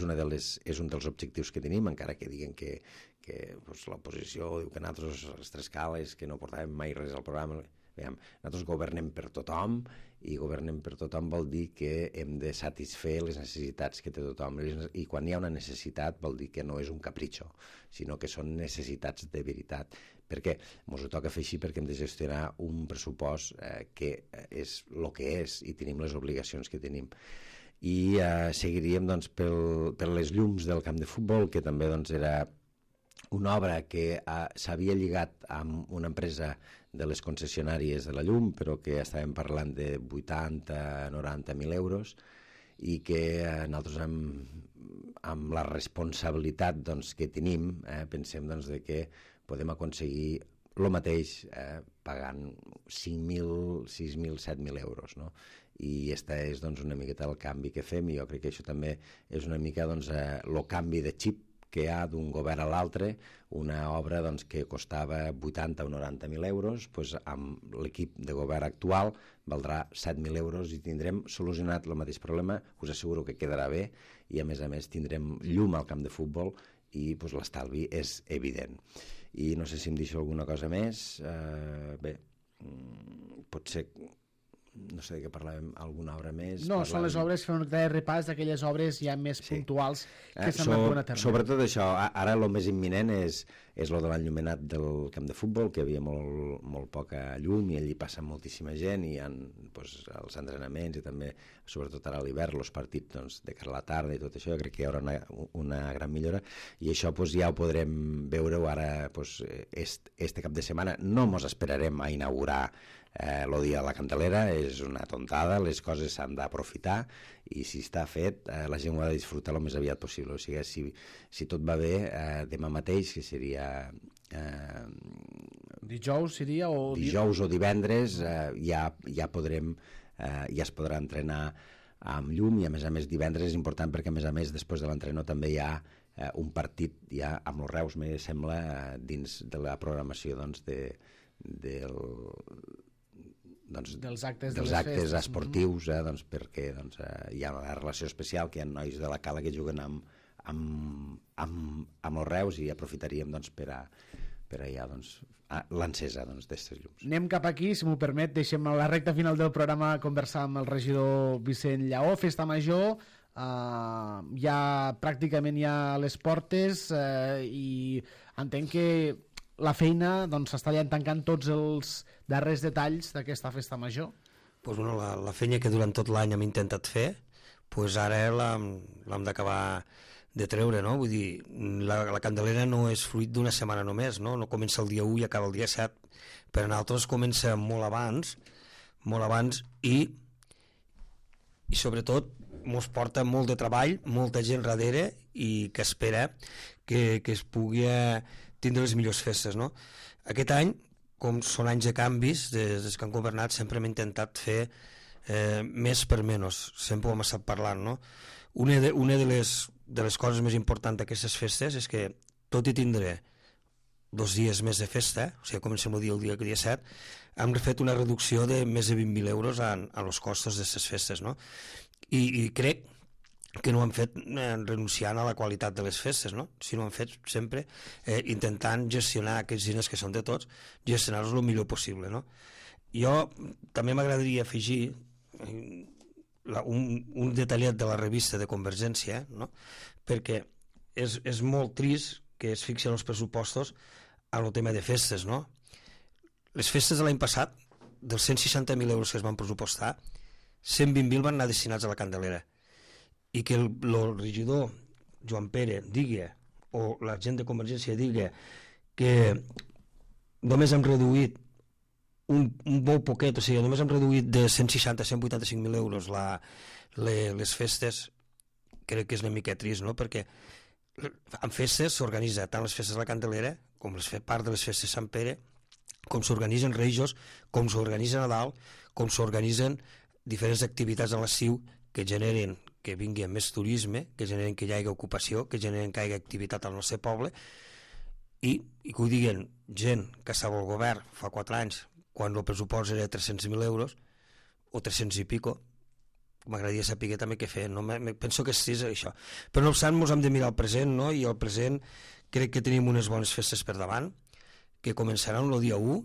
un dels objectius que tenim, encara que diguen que doncs, l'oposició diu que nosaltres les 3 cales, que no portàvem mai res al programa. Veiem, nosaltres governem per tothom, i governem per tothom vol dir que hem de satisfer les necessitats que té tothom, i quan hi ha una necessitat vol dir que no és un capritxo, sinó que són necessitats de veritat. Per què? Ens ho toca fer així perquè hem de gestionar un pressupost que és el que és, i tenim les obligacions que tenim. I seguiríem doncs, per les llums del camp de futbol, que també doncs, era una obra que s'havia lligat amb una empresa de les concessionàries de la llum, però que estàvem parlant de 80-90.000 euros, i que nosaltres amb la responsabilitat doncs, que tenim, pensem doncs, que podem aconseguir el mateix pagant 5.000, 6.000, 7.000 euros. No? I aquesta és doncs, una miqueta el canvi que fem, i jo crec que això també és una mica doncs, el canvi de xip que hi ha d'un govern a l'altre. Una obra doncs, que costava 80 o 90.000 euros, doncs, amb l'equip de govern actual valdrà 7.000 euros i tindrem solucionat el mateix problema. Us asseguro que quedarà bé, i a més tindrem llum al camp de futbol, i doncs, l'estalvi és evident. I no sé si em deixo alguna cosa més. Bé, potser no sé de què parlàvem, alguna obra més. No, són les obres, fer un repàs d'aquelles obres ja més puntuals que s'han anat donant a terme. Sobretot això, ara el més imminent és el de l'enllumenat del camp de futbol, que hi havia molt poca llum, i allí passa moltíssima gent, i hi ha doncs, els entrenaments, i també, sobretot ara a l'hivern, els partits doncs, de cara a la tarda i tot això. Jo crec que hi haurà una gran millora, i això doncs, ja ho podrem veure ara doncs, este cap de setmana. No mos esperarem a inaugurar el dia de la Candelera, és una tontada, les coses s'han d'aprofitar, i si està fet la gent ho ha de disfrutar el més aviat possible. O sigui, si tot va bé, demà mateix, que seria dijous seria, o dijous o divendres, ja es podrà entrenar amb llum, i a més divendres és important perquè a més després de l'entrenó també hi ha un partit ja amb els Reus, me sembla, dins de la programació doncs, dels actes esportius, doncs, perquè doncs, hi ha una relació especial, que hi ha nois de la Cala que juguen amb els Reus, i aprofitaríem doncs, per allà doncs, l'encesa d'aquestes llums. Anem cap aquí, si m'ho permet, deixem a la recta final del programa conversar amb el regidor Vicent Lleó. Festa Major, ja pràcticament ja a les portes, i entenc que la feina doncs, s'està ja tancant tots els darrers detalls d'aquesta festa major. Pues, bueno, la feina que durant tot l'any hem intentat fer, pues ara l'hem d'acabar de treure, no? Vull dir, la Candelera no és fruit d'una setmana només, no? No comença el dia 1 i acaba el dia 7. Per a nosaltres comença molt abans, i sobretot ens porta molt de treball, molta gent darrere, i que espera que es pugui tindre les millors festes, no? Aquest any, com són anys de canvis, des que han governat sempre hem intentat fer més per menys, sempre ho hem estat parlant, no? Una de les coses més importants d'aquestes festes és que, tot i tindre 2 dies més de festa, o sigui, comencem el dia 7, hem fet una reducció de més de 20.000 euros en els costos d'aquestes festes, no? I crec que no ho han fet renunciant a la qualitat de les festes, no? Sinó ho han fet sempre intentant gestionar aquests diners que són de tots, gestionar-los el millor possible, no? Jo també m'agradaria afegir un detallet de la revista de Convergència, no? Perquè és molt trist que es fixen els pressupostos en el tema de festes, no? Les festes de l'any passat, dels 160.000 euros que es van pressupostar, 120.000 van anar destinats a la Candelera. I que el regidor Joan Pere digui, o la gent de Convergència digui, que només hem reduït un molt poquet, o sigui, només hem reduït de 160 a 185.000 euros les festes, crec que és una mica trist, no? Perquè en festes s'organitza tant les festes de la Candelera com part de les festes de Sant Pere, com s'organitzen Reixos, com s'organitza Nadal, com s'organitzen diferents activitats a l'estiu que generen que vingui més turisme, que generen que hi hagi ocupació, que generen que hi hagi activitat al nostre poble, i que ho diguen gent que estava al govern fa 4 anys, quan el pressupost era 300.000 euros, o 300 i pico, m'agradaria saber també què fer, no? Penso que és això. Però no obstant, ens hem de mirar el present, no? I el present crec que tenim unes bones festes per davant, que començaran el dia 1,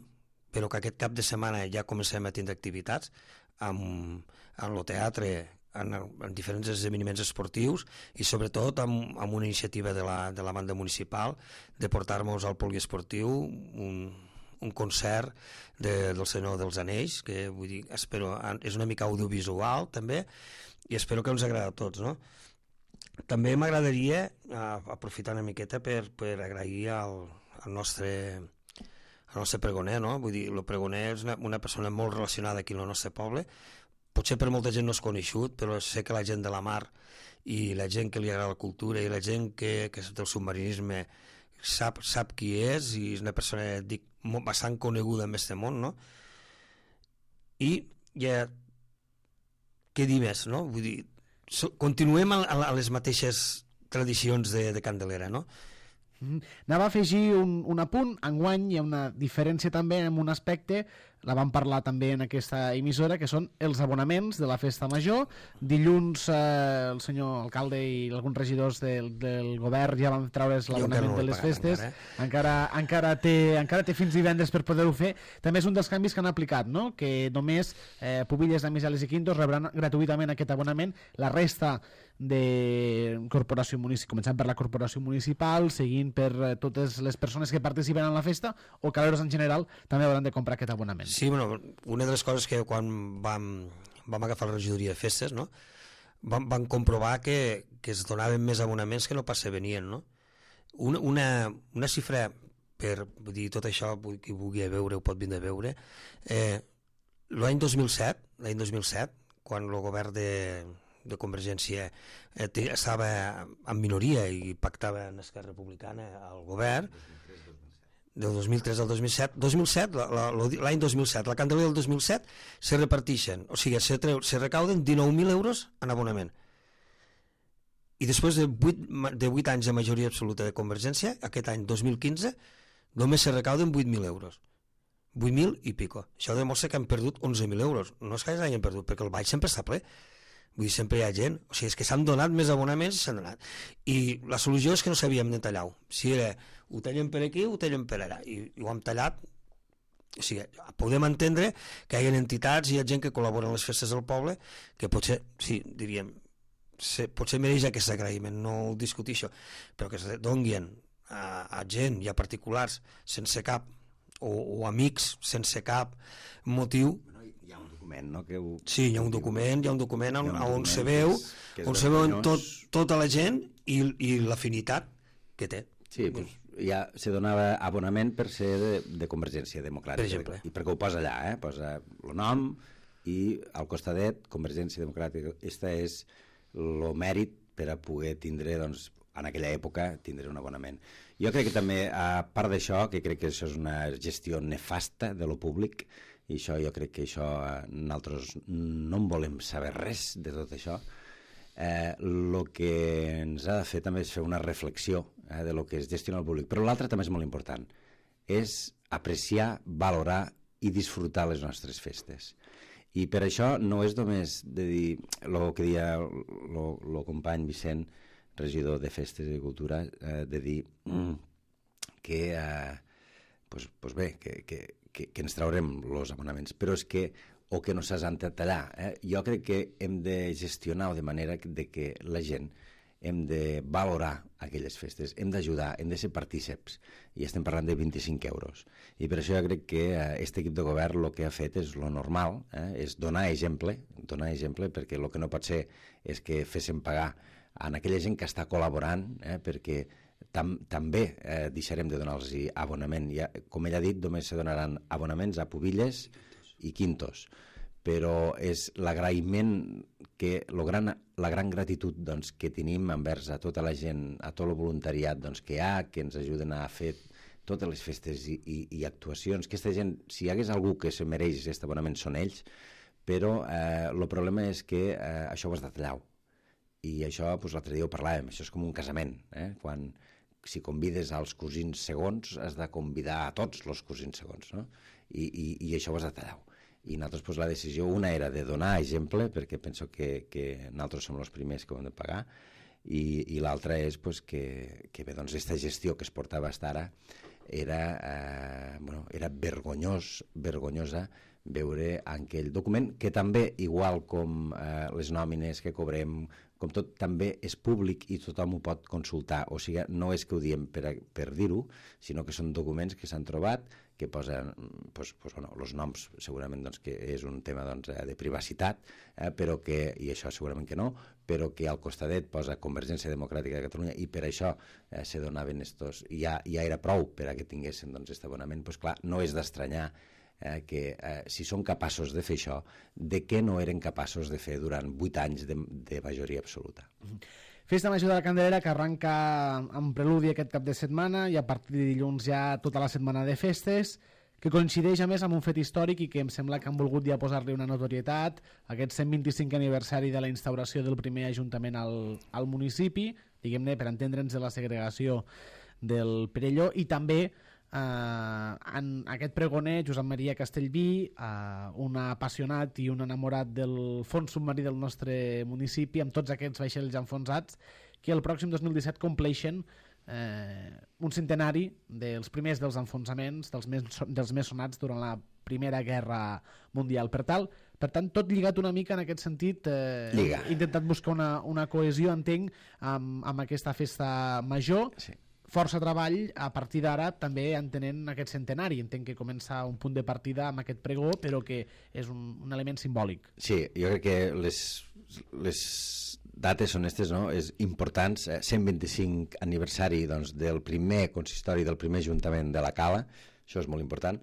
però que aquest cap de setmana ja comencem a tindre activitats en el teatre, en diferents esdeveniments esportius i sobretot amb una iniciativa de la banda municipal de portar-nos al poliesportiu un concert del Senyor dels Anells, que vull dir, espero, és una mica audiovisual també, i espero que ens agrada a tots, no? També m'agradaria aprofitar una miqueta per agrair al nostre pregoner, no? Vull dir, el pregoner és una persona molt relacionada aquí al nostre poble. Potser per molta gent no és conegut, però sé que la gent de la mar i la gent que li agrada la cultura i la gent que és del submarinisme sap qui és, i és una persona, dic, bastant coneguda en aquest món, no? I ja, què dir més, no? Vull dir, continuem a les mateixes tradicions de Candelera, no? Anava a afegir un apunt. Enguany hi ha una diferència també en un aspecte, la vam parlar també en aquesta emissora, que són els abonaments de la festa major. Dilluns el senyor alcalde i alguns regidors del govern ja van treure's l'abonament de les festes. Encara té fins divendres per poder-ho fer. També és un dels canvis que han aplicat, no? Que només Pubilles, Amisales i Quintos rebran gratuïtament aquest abonament. La resta de corporació municipal, començant per la corporació municipal, seguint per totes les persones que participen en la festa, o caleros en general també hauran de comprar aquest abonament. Sí, bueno, una de les coses que quan vam agafar la regidoria de festes, no? Vam comprovar que es donaven més abonaments que no pas se venien, no? Una xifra, per dir tot això, qui vulgui veure ho pot vindre a veure. L'any 2007, quan el govern de Convergència estava en minoria i pactava amb Esquerra Republicana al govern, del 2003 al 2007, l'any 2007, la Candelera del 2007, se reparteixen, o sigui, se recauden 19.000 euros en abonament. I després de 8 anys de majoria absoluta de Convergència, aquest any 2015, només se recauden 8.000 euros. 8.000 i pico. Això demostra que han perdut 11.000 euros. No és que hagin perdut, perquè el baix sempre està ple. Vull dir, sempre hi ha gent. O sigui, és que s'han donat més abonaments i s'han donat. I la solució és que no sabíem de tallar-ho. Si era, ho tallem per aquí, ho tallem per allà. I ho hem tallat. O sigui, podem entendre que hi ha entitats i hi ha gent que col·labora en les festes del poble que potser, sí, diríem, potser mereix aquest agraïment, no ho discutixo, però que es donguin a gent i a particulars sense cap, o amics sense cap motiu. No? Sí, hi ha un document on se veu tota la gent i l'afinitat que té. Sí, doncs ja se donava abonament per ser de Convergència Democràtica. Per exemple. I perquè ho posa allà, posa el nom i al costadet Convergència Democràtica. Este és el mèrit per a poder tindre, doncs, en aquella època, tindre un abonament. Jo crec que també, a part d'això, que crec que això és una gestió nefasta de lo públic, i això jo crec que això nosaltres no en volem saber res de tot això. El que ens ha de fer també és fer una reflexió de lo que és gestionar el públic, però l'altre també és molt important, és apreciar, valorar i disfrutar les nostres festes. I per això no és només de dir el que deia el company Vicent, regidor de Festes i Cultura, de dir que pues bé, que ens traurem els abonaments, però és que o que no s'han de tallar. Jo crec que hem de gestionar de manera que la gent hem de valorar aquelles festes, hem d'ajudar, hem de ser partíceps, i estem parlant de 25 euros. I per això jo crec que aquest equip de govern el que ha fet és lo normal, és donar exemple, perquè el que no pot ser és que féssim pagar a aquella gent que està col·laborant, perquè també deixarem de donar-los abonament. Com ell ha dit, només se donaran abonaments a pubilles i quintos, però és l'agraïment, la gran gratitud doncs, que tenim envers a tota la gent, a tot el voluntariat doncs, que hi ha, que ens ajuden a fer totes les festes i actuacions. Aquesta gent, si hi hagués algú que se mereix aquest abonament, són ells, però el problema és que això ho has de tallar. I això, l'altre dia ho parlàvem, això és com un casament, quan si convides als cosins segons, has de convidar a tots els cosins segons, no? I això ho has de tallar. I nosaltres la decisió, una era de donar exemple, perquè penso que nosaltres som els primers que ho hem de pagar, i l'altra és que bé, doncs aquesta gestió que es portava fins ara era vergonyosa veure aquell document, que també, igual com les nòmines que cobrem, com tot, també és públic i tothom ho pot consultar. O sigui, no és que ho diem per dir-ho, sinó que són documents que s'han trobat, que posen els noms, segurament que és un tema de privacitat, però que, i això segurament que no, però que al costadet posa Convergència Democràtica de Catalunya, i per això se donaven estos, ja era prou per a que tinguessin aquest abonament. Doncs clar, no és d'estranyar que si són capaços de fer això, de què no eren capaços de fer durant 8 anys de majoria absoluta. Festa Major de la Candelera, que arranca amb preludi aquest cap de setmana, i a partir de dilluns ja tota la setmana de festes, que coincideix a més amb un fet històric i que em sembla que han volgut ja posar-li una notorietat, aquest 125 aniversari de la instauració del primer ajuntament al municipi, diguem-ne, per entendre'ns, de la segregació del Perelló, i també en aquest pregoner, Josep Maria Castellví, un apassionat i un enamorat del fons submarí del nostre municipi, amb tots aquests vaixells enfonsats, que el pròxim 2017 compleixen un centenari dels primers dels enfonsaments, dels més sonats durant la Primera Guerra Mundial. Per tant, tot lligat una mica en aquest sentit, he intentat buscar una cohesió, entenc, amb aquesta festa major. Sí. Força treball a partir d'ara, també entenent aquest centenari. Entenc que comença un punt de partida amb aquest pregó, però que és un element simbòlic. Sí, jo crec que les dates són aquestes, no? És importants. 125 aniversari del primer consistori, del primer ajuntament de la Cala, això és molt important.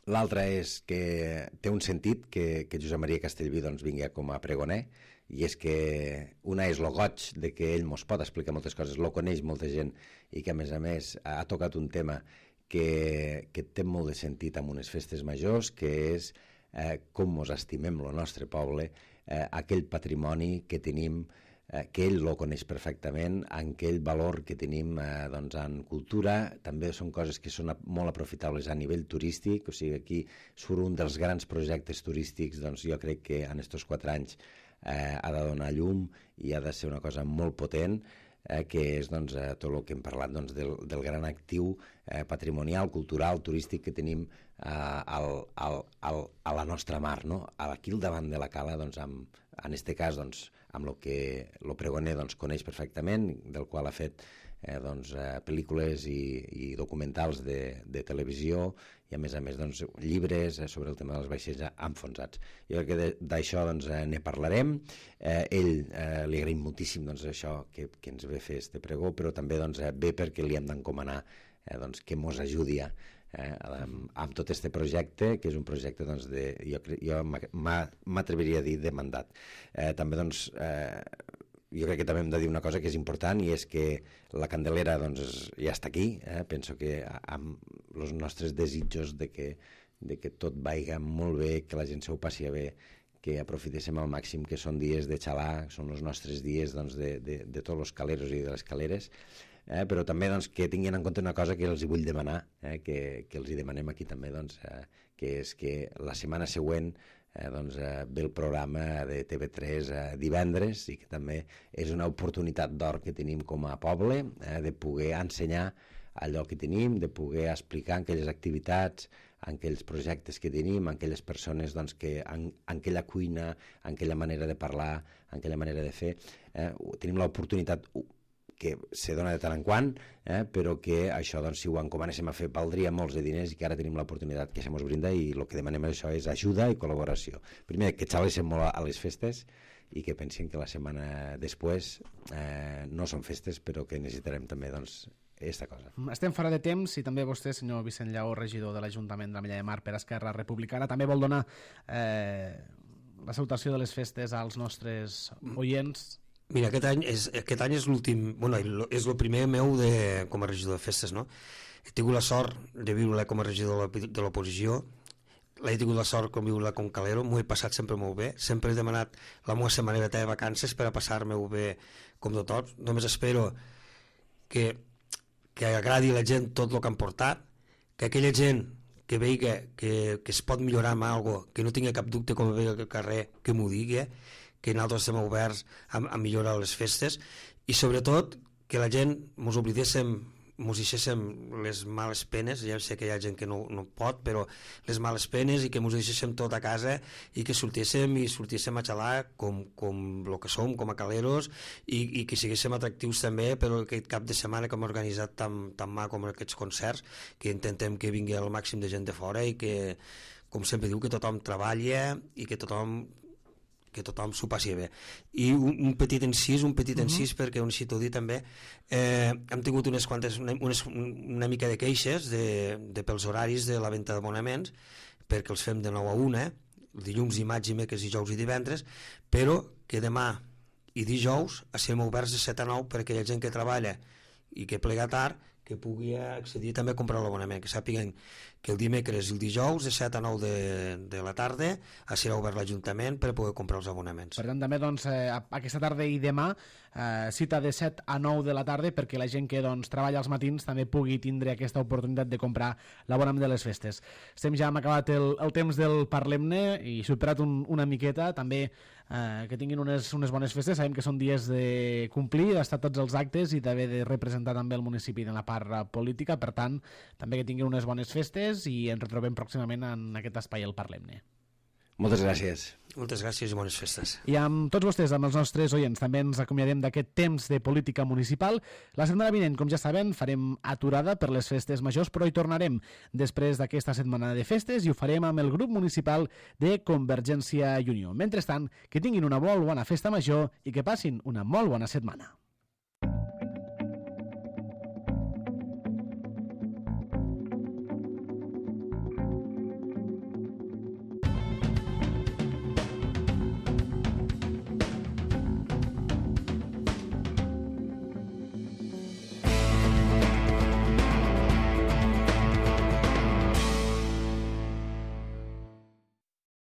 L'altre és que té un sentit que Josep Maria Castellví vingui com a pregoner, i és que una és el goig de que ell mos pot explicar moltes coses, lo coneix molta gent, i que a més ha tocat un tema que té molt de sentit amb unes festes majors, que és com mos estimem el nostre poble, aquell patrimoni que tenim, que ell lo coneix perfectament, aquell valor que tenim en cultura. També són coses que són molt aprofitables a nivell turístic, o sigui, aquí surt un dels grans projectes turístics, jo crec que en aquests 4 anys ha de donar llum i ha de ser una cosa molt potent, que és tot el que hem parlat del gran actiu patrimonial, cultural, turístic que tenim a la nostra mar, no? Aquí al davant de la Cala, en aquest cas amb el que el pregoner coneix perfectament, del qual ha fet pel·lícules i documentals de televisió, i a més llibres sobre el tema dels vaixells enfonsats. Jo crec que d'això ne parlarem. Ell li agraïm moltíssim això que ens ve fer este pregó, però també ve perquè li hem d'encomanar que mos ajudi amb tot este projecte, que és un projecte jo m'atreviria a dir de mandat. També jo crec que també hem de dir una cosa que és important, i és que la Candelera ja està aquí. Penso que amb els nostres desitjos de que tot vagi molt bé, que la gent s'ho passi bé, que aprofitéssim al màxim, que són dies de xalar, són els nostres dies de tots els caleros i de les caleres, però també que tinguin en compte una cosa que els vull demanar, que els hi demanem aquí també, que és que la setmana següent ve el programa de TV3 divendres, i que també és una oportunitat d'or que tenim com a poble, de poder ensenyar allò que tenim, de poder explicar en aquelles activitats, en aquells projectes que tenim, en aquelles persones doncs, que en aquella cuina, en aquella manera de parlar, en aquella manera de fer. Tenim l'oportunitat que se dona de tant en quant, però que això, doncs, si ho encomanéssim a fer, valdria molts de diners i que ara tenim l'oportunitat que se mos brinda i el que demanem això és ajuda i col·laboració. Primer, que xalessin molt a les festes i que pensin que la setmana després no són festes, però que necessitarem també, doncs, aquesta cosa. Estem fora de temps i també vostè, senyor Vicent Lleó, regidor de l'Ajuntament de l'Ametlla de Mar per Esquerra Republicana, també vol donar la salutació de les festes als nostres oients. Mira, aquest any és l'últim, bueno, és el primer meu com a regidor de festes, no? He tingut la sort de viure com a regidor de l'oposició, l'he tingut la sort com viure com calero, m'ho he passat sempre molt bé, sempre he demanat la meva setmaneta de vacances per a passar-me-ho bé com tothom. Només espero que agradi a la gent tot el que han portat, que aquella gent que vegi que es pot millorar amb alguna cosa, que no tingui cap dubte com vegi al carrer, que m'ho digui, que nosaltres estem oberts a millorar les festes, i sobretot que la gent mos oblidéssim, mos deixéssim les males penes, ja sé que hi ha gent que no pot, però les males penes, i que mos deixéssim tot a casa i que sortíssim a xalar com el que som, com a caleros, i que siguéssim atractius també per aquest cap de setmana que hem organitzat tan mà com aquests concerts, que intentem que vingui el màxim de gent de fora i que, com sempre diu, que tothom treballa i que tothom s'ho passi bé. I un petit encís perquè ho necessito dir també, hem tingut una mica de queixes pels horaris de la venda d'abonaments, perquè els fem de 9 a 1, dilluns, dimarts, dimecres, dijous i divendres, però que demà i dijous estem oberts de 7 a 9 per a aquella gent que treballa i que plega tard, que pugui accedir també a comprar l'abonament, que sàpiguen que el dimecres i el dijous de 7 a 9 de la tarda serà obert l'Ajuntament per poder comprar els abonaments. Per tant, també doncs, aquesta tarda i demà cita de 7 a 9 de la tarda perquè la gent que doncs, treballa als matins també pugui tindre aquesta oportunitat de comprar l'abonament de les festes. Estem ja hem acabat el temps del Parlem-ne i superat una miqueta, també que tinguin unes bones festes. Sabem que són dies de complir, d'estar tots els actes i d'haver de representar també el municipi en la part política, per tant, també que tinguin unes bones festes i ens retrobem pròximament en aquest espai el Parlem-ne. Moltes gràcies. Moltes gràcies i bones festes. I amb tots vostès, amb els nostres oients, també ens acomiadem d'aquest temps de política municipal. La setmana vinent, com ja saben, farem aturada per les festes majors, però hi tornarem després d'aquesta setmana de festes i ho farem amb el grup municipal de Convergència i Unió. Mentrestant, que tinguin una molt bona festa major i que passin una molt bona setmana.